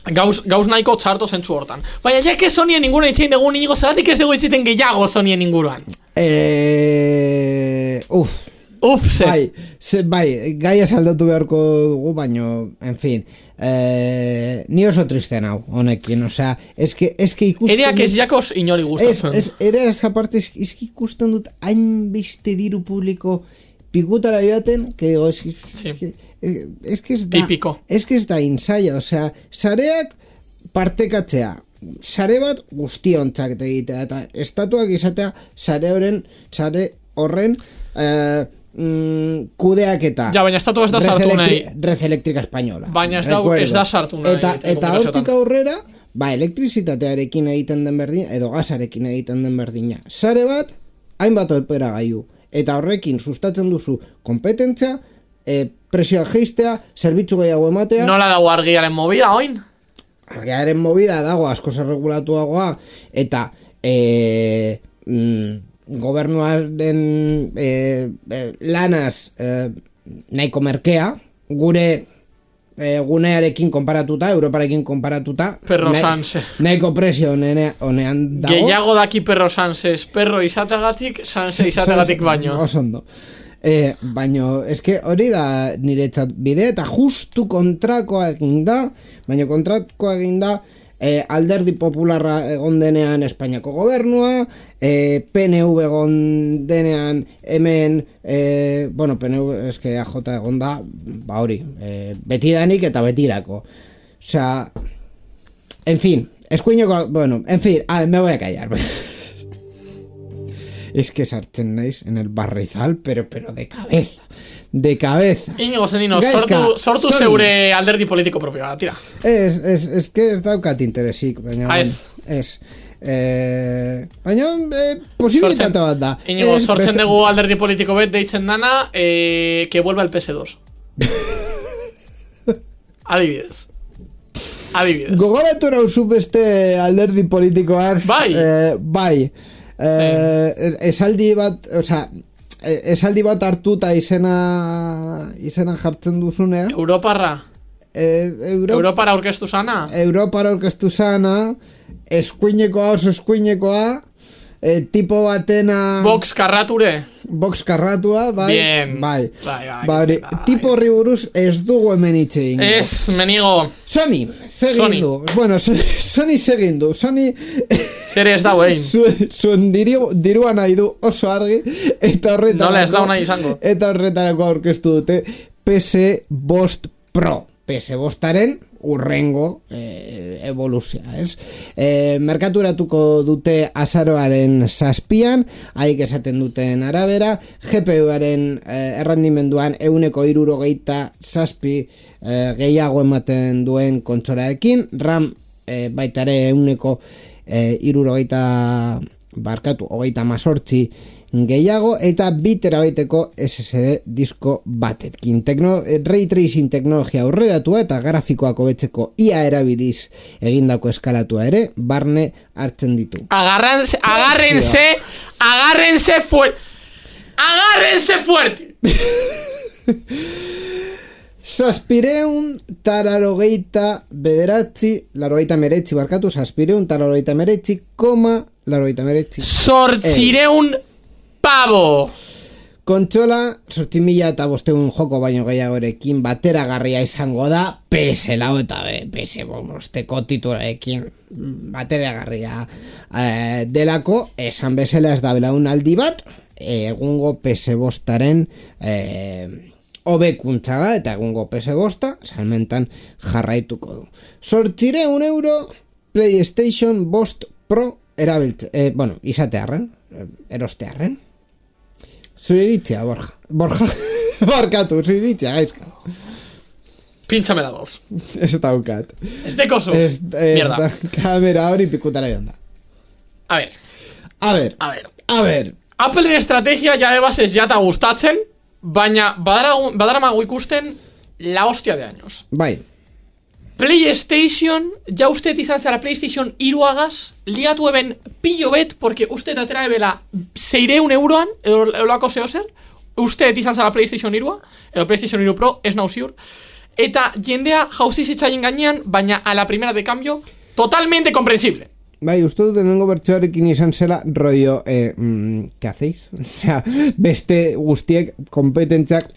Gauz, gauz nahiko txarto zentzu hortan. Baina, ja que Sonyen inguruan itxein dugu nigo, zeratik ez dugu iziten gehiago Sonyen inguruan. Eee... Uf. Uf, ze. Bai, ze, bai, gaia saldatu beharko dugu, baino, en fin. Eee... Ni oso tristen hau, honekin, osea, eske, eske ikusten... Ereak ez jakos inori gustatzen. Ez, ez, ere esa parte, eski ikusten dut hainbeste diru publiko pikutara joaten, que digo, es, sí. es que... Es que ez da, típico. Es que ez da insaia, osea, sareak partekatzea, sare bat guztiontzak egitea, eta estatuak izatea sare horren, sare horren eh, mm, kudeaketa. Ja, baina estatu ez da sartu nahi. Red Eléctrica Española. Baina ez da, ez da sartu nahi. Eta, eta hortik aurrera, ba, elektrizitatearekin egiten den berdina, edo gasarekin egiten den berdina. Sare bat, hainbat operagailu. Eta horrekin sustatzen duzu kompetentza, E, presioa geistea, zerbitzu gehiago ematea. Nola dago argiaren movida, oin? Argiaren movida dago, asko zerregulatuagoa, eta e, mm, gobernuaren e, e, lanaz e, nahiko merkea, gure e, gunearekin konparatuta, Europarekin konparatuta, Perro Sanse. Nahiko presio honean dago. Gehiago daki Perro Sanses, perro izategatik, Sanse izategatik baino. Osondo. Eh, baino, eske hori da niretzat bide, eta justu kontrakoa egin da, baino kontrakoa egin da eh, alderdi popularra egon denean Espainiako gobernua, eh, P N V egon denean hemen, eh, bueno, P N V eske A J egon da, ba hori, eh, betidanik eta betirako. Osea, en fin, eskuineko, bueno, en fin, ah, me voy a callar. Es que sartzen naiz en el barrizal, pero, pero de cabeza. De cabeza. Inigo Zenino, sortu, sortu zeure alderdi politiko propioa, tira. Es, es, es que ez daukat interesik. Baina, ah, ez. Es. Eh, baina, eh, posibilitate bat da. Inigo, sortzen beste... dugu alderdi politiko bet deitzen dana, eh, que vuelva el P S dos. Adibidez. Adibidez. Gogoratu nauzu beste alderdi politikoaz. Bai. Eh, bai. Eh, esaldi bat, osea, esaldi bat hartuta izena izena jartzen duzunea. Europarra. Eh, Euro... Europara aurkeztu sana. Europara aurkeztu sana. Eskuinekoa oso eskuinekoa. Eh, tipo batena... Box karrature. Box karratua, bai. Bien. Bai. Bai, bai, bai. bai. Tipo horri buruz ez dugu hemen itxein. Ez, menigo. Sony, segindu. Bueno, Sony segindu. Sony... Zer ez dau egin. Zuen diru, dirua nahi du oso argi. Eta horretarako... Nola ez dau nahi izango. Eta horretarako aurkeztu dute P S Bost Pro. P S Bostaren urrengo eh, evoluzioa, ez? Eh, merkaturatuko dute azaroaren zazpian, haik esaten duten arabera, G P U-aren eh, errandimenduan euneko irurogeita zazpi eh, gehiago ematen duen kontsolaekin, RAM eh, baitare euneko eh, irurogeita barkatu, hogeita mazortzi gehiago, eta bi terabaiteko S S D disko batetkin. Tekno, ray tracing teknologia aurreratua eta grafikoak hobetzeko ia erabiliz egindako eskalatua ere barne hartzen ditu. Agarranse, agárrense, agárrense fuerte. Agárrense fuerte. Zazpireun tararogeita bederatzi, larogeita meretzi barkatu, zazpireun tararogeita meretzi, koma, larogeita meretzi. Sortzireun pavo. Kontsola, sortzi mila eta bosteun joko baino gehiagorekin bateragarria izango da, P S lau eta P S bosteko titularekin bateragarria eh, delako, esan bezala ez da belaunaldi bat, egungo P S bostaren eh, hobekuntza da, eta egungo P S bosta salmentan jarraituko du. Sortzireun euro PlayStation Bost Pro erabiltze, eh, bueno, izatearren, erostearren. Zuriritzea, Borja. Borja, barkatu, zuriritzea, gaizka. Pintxame la dos. Ez daukat. Ez dekozu. Ez, Mierda. Da, kamera hori pikutara joan da. A ver. A ver. A ver. A ver. Appleen estrategia ja ebas ez jata gustatzen, baina badara mago ikusten la hostia de años. Bai. PlayStation, ja usted izan zara PlayStation iruagaz, ligatu eben pillo bet, porque usted atera ebela seireun euroan, edo lako zeo zer, usted izan zara PlayStation irua, edo PlayStation iru Pro, ez nau ziur, eta jendea jauzi zitzaien gainean, baina a la primera de cambio, totalmente comprensible. Bai, uste dut denengo bertsoarekin izan zela rollo, eh, mm, ¿qué hacéis? O sea, beste guztiek kompetentzak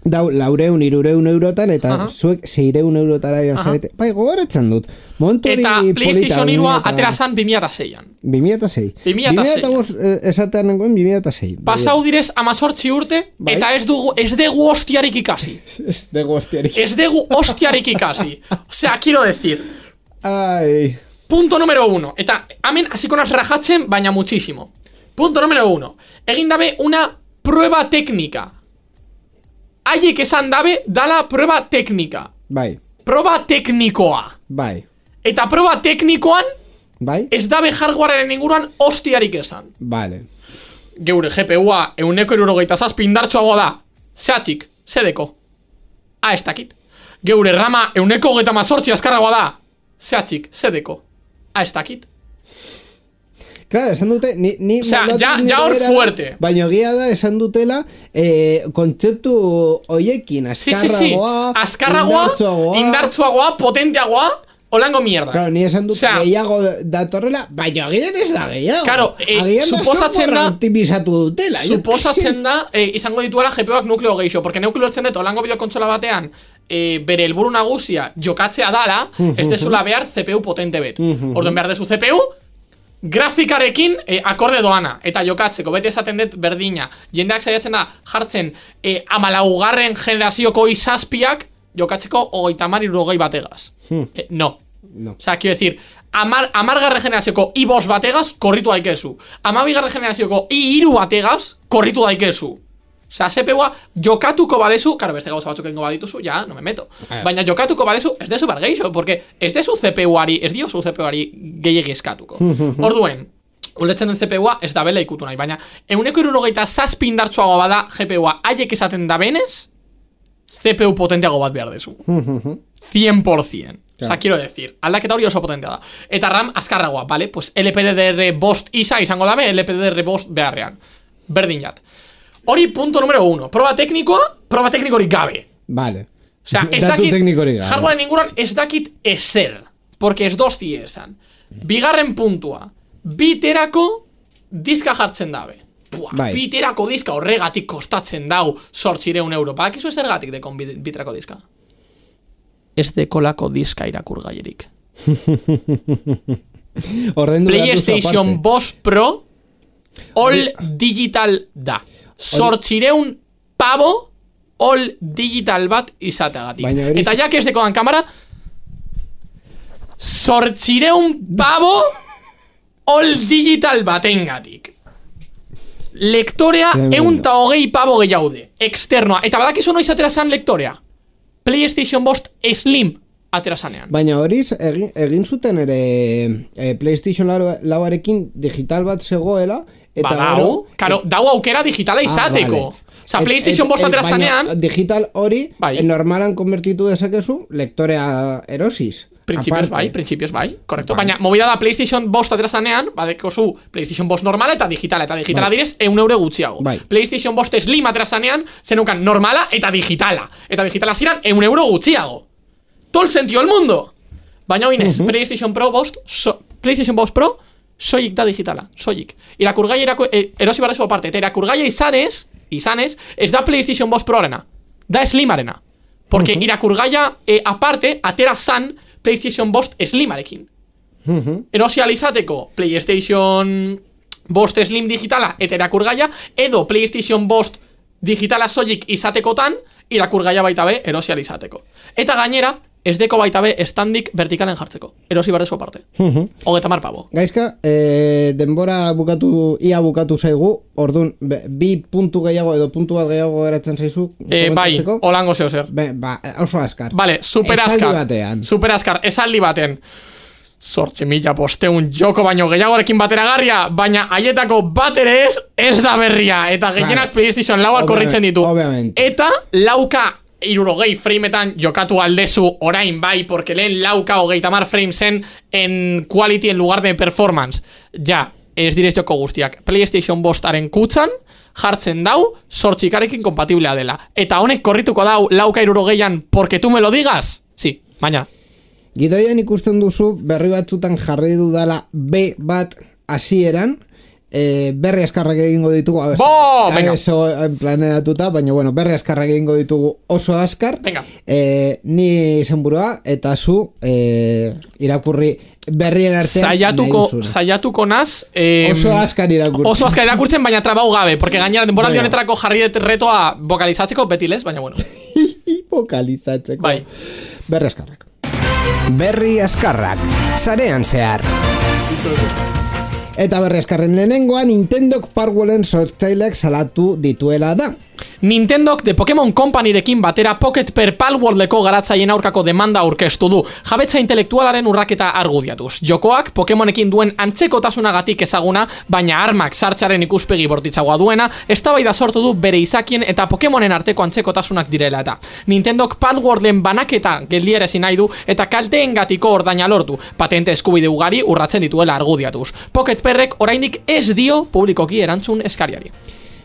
dau laureun, irureun eurotan, eta uh-huh. zuek seireun eurotara joan uh-huh. zarete. Bai, gogoratzen dut. Montu hori eta polita. Eta PlayStation irua atera zan bi mila eta seian. bi mila eta sei. bi mila eta sei. Eh, esatean nengoen bi mila eta sei. Pasau direz amazortzi urte, bai. Eta ez dugu, ez dugu hostiarik ikasi. Ez dugu hostiarik. Ez dugu hostiarik ikasi. Osea, quiero decir. Ai. Punto número uno. Eta hemen hasiko naz rajatzen, baina muchísimo. Punto número uno. Egin dabe una prueba técnica. Haiek esan dabe, dala prueba teknika. Bai. Proba teknikoa. Bai. Eta proba teknikoan, bai. Ez dabe hardwarearen inguruan hostiarik esan. Vale. Geure G P U-a euneko irurogeita zazpi indartsuago da. Zehatxik, zedeko. A, ez dakit. Geure rama euneko hogeita mazortzi azkarragoa da. Zehatxik, zedeko. A, ez dakit. Claro, esan dute, ni, ni o sea, ya, ya hor fuerte. Baina egia da, esan dutela, eh, kontzeptu hoiekin, azkarragoa, sí, sí, sí. Azkarragoa, indartsuagoa, indartsuagoa, potenteagoa, holango mierda. Claro, ni esan dute, o sea, gehiago datorrela, baina agian ez da gehiago. Claro, eh, agian suposatzen da, optimizatu dutela. Suposatzen da, eh, izango dituela G P U-ak nukleo gehixo, porque nukleo ertzen dut, holango bideokontsola batean, eh, bere helburu nagusia jokatzea dala, ez dezula behar C P U potente bet. Orduan behar dezu C P U, grafikarekin eh, akorde doana, eta jokatzeko, bete esaten dut berdina, jendeak saiatzen da jartzen eh, amalaugarren generazioko izazpiak jokatzeko hogeita hamar irurogei bategaz. Hmm. Eh, no. no. O sea, quiero decir, amar, amargarren generazioko i bost bategaz korritu daikezu. Amabigarren generazioko i iru bategaz korritu daikezu. Osea, C P U-a jokatuko badezu, karo, beste gauza batzuk egingo badituzu, ja, no me meto. Baina jokatuko badezu, ez dezu bergeixo, porque ez dezu C P U-ari, ez diozu C P U-ari gehiegi eskatuko. Orduen, uletzen den C P U-a ez da bela ikutu nahi, baina euneko irurogeita zazpi indartsuago bada G P U-a haiek esaten da benez, C P U potenteago bat behar dezu. cien por ciento. O sea, quiero decir, aldaketa hori oso potentea da. Eta RAM azkarragoa, vale? Pues L P D D R bost isa izango dabe, L P D D R bost beharrean. Berdin jat. Hori punto número uno. Proba teknikoa, proba teknikorik gabe. Vale. O sea, ez dakit, hardwaren inguruan ez dakit ezer. Porque ez dosti esan. Bigarren puntua. Biterako diska jartzen dabe. Buah, biterako diska horregatik kostatzen dau zortzireun euro. Badakizu ez ergatik dekon biterako diska? Ez dekolako diska irakurgaierik. PlayStation bost Pro All Digital da. Zortzireun pavo All Digital bat izateagatik. Eta jak ez dekodan kamera, zortzireun pavo All Digital batengatik. Lektorea eun ta hogei pavo gehiaude. Externoa. Eta badakizu noiz atera zan lektorea? PlayStation bost Slim atera zanean. Baina horiz egin, egin zuten ere e, PlayStation lauarekin digital bat zegoela. Eta ba, dau, karo, dau aukera digitala izateko. Ah, vale. Osa, PlayStation bost atera zanean. Digital hori, bai. Normalan konvertitu dezakezu lektorea erosiz. Principios bai, principios bai, correcto. Baina, movida da PlayStation bost atera zanean, badeko zu PlayStation bost normala eta digitala. Eta digitala bai. Direz, eun euro gutxiago. Bai. PlayStation bost Slim atera zanean, zenukan normala eta digitala. Eta digitala ziran, eun euro gutxiago. Todo el sentido del mundo. Baina oinez, uh -huh. PlayStation Pro bost, so, PlayStation bost Pro, soilik da digitala, soilik. Irakurgai erako, er, erosi barrezu aparte, eta irakurgai izanez, izanez, ez da PlayStation bost Pro arena, da Slim arena. Porque uh -huh. irakurgaia eh, aparte, atera zan PlayStation bost Slimarekin. Uh -huh. Erosi alizateko PlayStation bost Slim digitala eta irakurgaia, edo PlayStation bost digitala soilik izatekotan, irakurgaia baita be erosi alizateko. Eta gainera, ez deko baita be standik vertikalen jartzeko. Erosi barrezu aparte. Uh-huh. Hogeta mar pavo. Gaizka, eh, denbora bukatu, ia bukatu zaigu, orduan, bi puntu gehiago edo puntu bat gehiago geratzen zaizu? Eh, bai, holango zeo zer. Be, ba, oso askar. Vale, super askar. Esaldi batean. Super askar, esaldi baten. Zortzi mila posteun joko baino gehiagorekin bateragarria, baina haietako bat ere ez, ez da berria. Eta gehienak PlayStation laua korritzen ditu. Obviamente. Eta lauka irurogei frameetan jokatu aldezu orain bai, porque lehen lauka hogeita mar framesen en quality en lugar de performance. Ja, ez direz joko guztiak. PlayStation bostaren kutzan jartzen dau, zortzikarekin kompatiblea dela. Eta honek korrituko dau lauka irurogeian, porque tu me lo digas? Si, baina. Gidoian ikusten duzu, berri batzutan jarri dudala B bat hasieran, E, berri askarrak egingo ditugu abez, Bo, venga. Planeatuta, baina bueno, berri askarrak egingo ditugu oso askar. Venga. E, ni izenburua eta zu e, irakurri berrien artean Saiatuko, saiatuko naz eh, oso askar irakurtzen. Oso askar irakurtzen, baina trabau gabe, porque gainera denboraldi honetarako jarri retoa vokalizatzeko betilez, baina bueno. Vokalizatzeko. Bai. Berri askarrak. Berri askarrak, sarean zehar. Eta berri askarren lehenengoa, Nintendok Parwellen sortzaileak salatu dituela da. Nintendok de Pokémon Companyrekin batera Pocket per Palworldeko garatzaien aurkako demanda aurkeztu du, jabetza intelektualaren urraketa argudiatuz. Jokoak Pokémonekin duen antzekotasunagatik ezaguna, baina armak sartzearen ikuspegi bortitzagoa duena, eztabaida sortu du bere izakien eta Pokémonen arteko antzekotasunak direla eta. Nintendok Palworlden banaketa geldiarazi nahi du eta kalteengatiko ordaina lortu, patente eskubide ugari urratzen dituela argudiatuz. Pocket Perrek oraindik ez dio publikoki erantzun eskariari.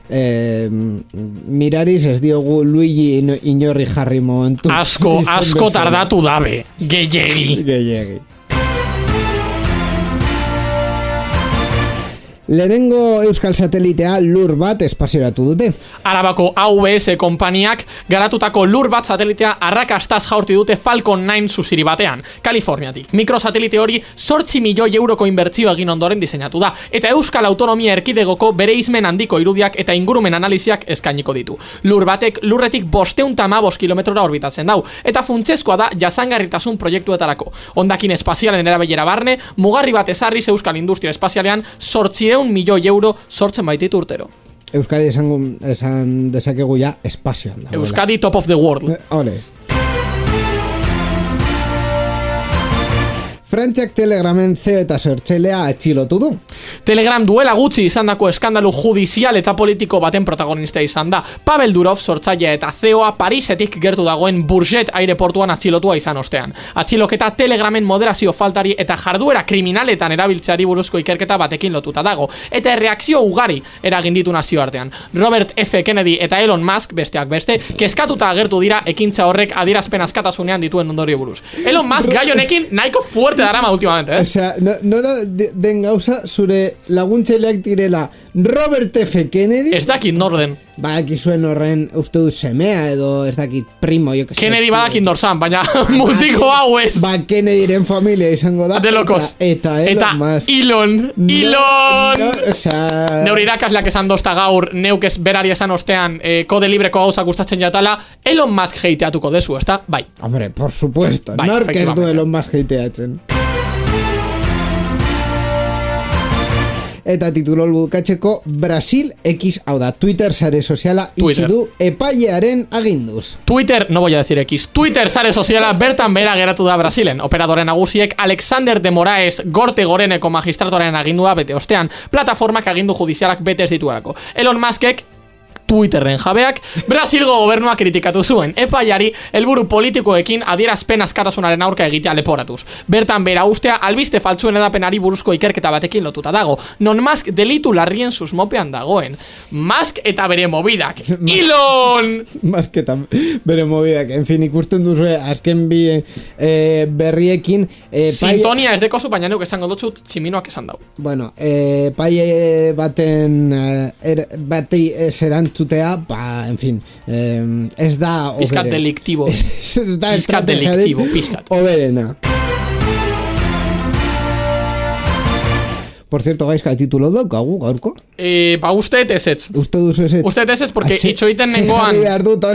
Eh, mirariz ez diogu Luigi inorri jarri momentu. Asko, asko tardatu dabe. Gehiegi. Gehiegi. Lehenengo euskal satelitea lur bat espazioratu dute. Arabako A V S konpaniak garatutako lur bat satelitea arrakastaz jaurti dute Falcon nine zuziri batean, Kaliforniatik. Mikrosatelite hori zortzi milioi euroko inbertzio egin ondoren diseinatu da, eta Euskal Autonomia Erkidegoko bere izmen handiko irudiak eta ingurumen analiziak eskainiko ditu. Lur batek lurretik bosteun eta hamabost kilometrora orbitatzen dau, eta funtsezkoa da jasangarritasun proiektuetarako. Hondakin espazialen erabilera barne, mugarri bat ezarriz Euskal Industria Espazialean zortzireun milioi euro sortzen baititu urtero. Euskadi esan, esan dezakegu ja espazioan dagoela. Euskadi top of the world. Eh, ole. Frantziak Telegramen C E O eta sortzailea atxilotu du. Telegram duela gutxi izandako eskandalu judizial eta politiko baten protagonista izan da. Pavel Durov sortzailea eta C E O a Parisetik gertu dagoen Bourget aireportuan atxilotua izan ostean. Atxiloketa Telegramen moderazio faltari eta jarduera kriminaletan erabiltzeari buruzko ikerketa batekin lotuta dago. Eta erreakzio ugari eragin ditu nazioartean. Robert F. Kennedy eta Elon Musk, besteak beste, kezkatuta agertu dira ekintza horrek adierazpen askatasunean dituen ondorio buruz. Elon Musk gai honekin nahiko fuerte darama últimamente, eh? O sea, no, no da den gauza zure laguntzaileak direla Robert F. Kennedy. Ez dakit norden. Badakizuen horren uste dut semea edo ez dakit primo, jo que sé. Kennedy badakit norzan, baina mutiko hau ez. Ba, Kennedyren familia izango da. De locos. Eta, eta Elon eta Musk. Elon. No, Elon. No, o sea... Neure irakasleak esan dozta gaur, neuk ez berari esan ostean eh, kode libreko gauzak gustatzen jatala, Elon Musk heiteatuko dezu, ezta? Bai. Hombre, por supuesto. Bai, Nork ez du Elon Musk heiteatzen. Eta titulo bukatzeko, Brasil X, hau da, Twitter sare soziala itxi du epailearen aginduz. Twitter, no voy a decir X, Twitter sare soziala bertan behera geratu da Brasilen. Operadore nagusiek Alexander de Moraes Gorte Goreneko magistratoren agindua bete ostean, plataformak agindu judizialak betez dituelako. Elon Muskek Twitterren jabeak Brasilgo gobernua kritikatu zuen epaiari helburu politikoekin adierazpen askatasunaren aurka egitea leporatuz. Bertan bera ustea albiste faltsuen edapenari buruzko ikerketa batekin lotuta dago. Non Musk delitu larrien susmopean dagoen. Musk eta bere mobidak. Elon! Musk eta bere mobidak. En fin, ikusten duzue azken bi eh, berriekin eh, Sintonia ez dekozu, baina neuk esango dutxut tximinoak esan dau. Bueno, eh, paie baten eh, er, batei eserant tutea, ba, en fin, eh, ez da Piskat deliktibo. Ez, ez da Piskat deliktibo, piskat. Oberena. Por cierto, gaizka, titulo daukagu gaurko? Eh, ba, usteet ezetz. Uste duzu ezetz? Usteet ezetz, porque itxoiten nengoan... behar dut,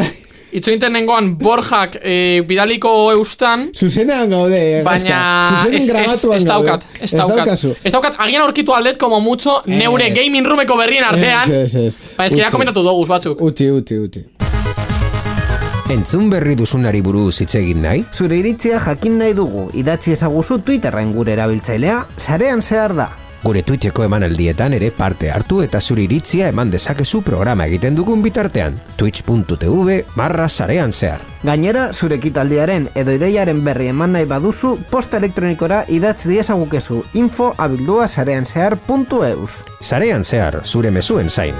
itxoiten nengoan Borjak eh, bidaliko eustan... Zuzenean gaude, baina... Zuzenean grabatuan ez daukat, gaude. ez daukat. Ez daukat, agian aurkitu aldet, como mucho, neure es. gaming roomeko berrien artean. Ez, ez, ez. Ba, ez que ya komentatu doguz batzuk. Uti, uti, uti. Entzun berri duzunari buruz hitz egin nahi? Zure iritzia jakin nahi dugu, idatzi ezaguzu Twitterren gure erabiltzailea, sarean zehar da. Gure Twitcheko emanaldietan ere parte hartu eta zure iritzia eman dezakezu programa egiten dugun bitartean. Twitch.tv barra sarean zehar. Gainera, zure ekitaldiaren edo ideiaren berri eman nahi baduzu, posta elektronikora idatz diezagukezu info abildua sarean zehar puntu eus. Sarean zehar, zure mezuen zain.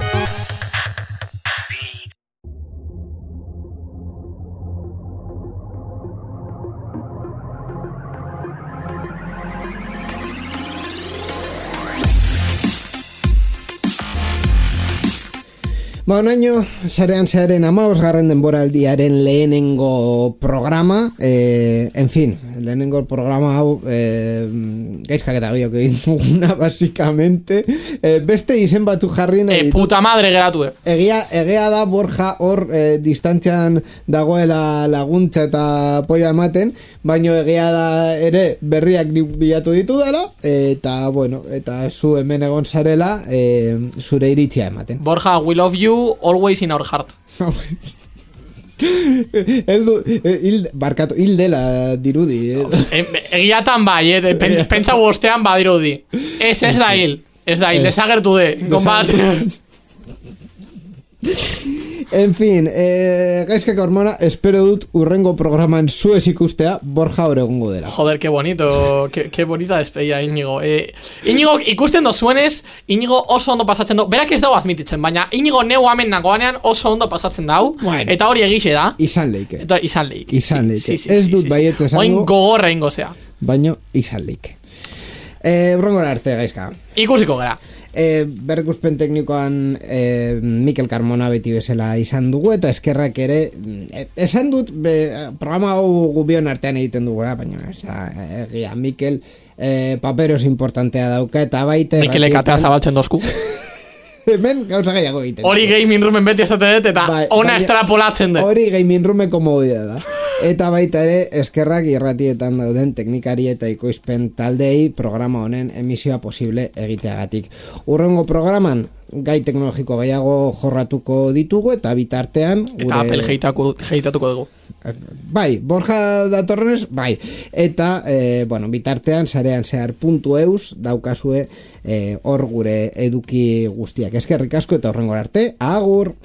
Ba, onaino, sarean zearen amabosgarren denboraldiaren lehenengo programa, eh, en fin, lehenengo programa hau eh, gaizkak eta biok egin duguna, basikamente, eh, beste izen batu jarri nahi E, puta madre geratu, eh. Egia, egia da Borja hor eh, distantzian dagoela laguntza eta poia ematen, baino egia da ere berriak bilatu ditu dela, eta bueno, eta zu hemen egon zarela eh, zure iritzia ematen. Borja, we love you, always in our heart. Eldu, hil, barkatu, hil dela dirudi. Eh? Egiatan bai, eh? Pentsa bostean badirudi. Ez, ez da hil. Ez da hil, desagertu de. Gonbat. En fin, eh, gaizkak hormona, espero dut urrengo programan zuez ikustea Borja hor egongo dela. Joder, qué bonito, qué, qué bonita despedida, Íñigo. Eh, Íñigo, ikusten dozuenez, Íñigo oso ondo pasatzen du, berak ez dago admititzen, baina Íñigo neu hamen nagoanean oso ondo pasatzen dau, bueno, eta hori egixe da. Izan leike. Eta izan leike. Izan leike. Sí, sí, ez sí, dut sí, baiet sí. esango. Oin gogorra ingo zea. Baino, izan leike. Eh, urrengora arte, gaizka. Ikusiko gara. E, berrikuspen teknikoan e, Mikel Carmona beti bezala izan dugu eta eskerrak ere e, esan dut be, programa hau gubion artean egiten dugura, baina ez da egia, Mikel e, paperos importantea dauka eta baita Mikelek atea zabaltzen dozku. Hemen gauza gehiago egiten. Hori gaming roomen beti esate dut eta bai, ona estrapolatzen dut. Hori gaming roomeko modida da. Eta baita ere, eskerrak irratietan dauden teknikari eta ikoizpen taldei programa honen emisioa posible egiteagatik. Urrengo programan, gai teknologiko gehiago jorratuko ditugu eta bitartean... Eta gure... Apple heitako, heitatuko dugu. Bai, Borja datorrenez, bai. Eta, e, bueno, bitartean sarean zehar puntu eus daukazue hor e, gure eduki guztiak. Eskerrik asko eta horrengor arte, agur!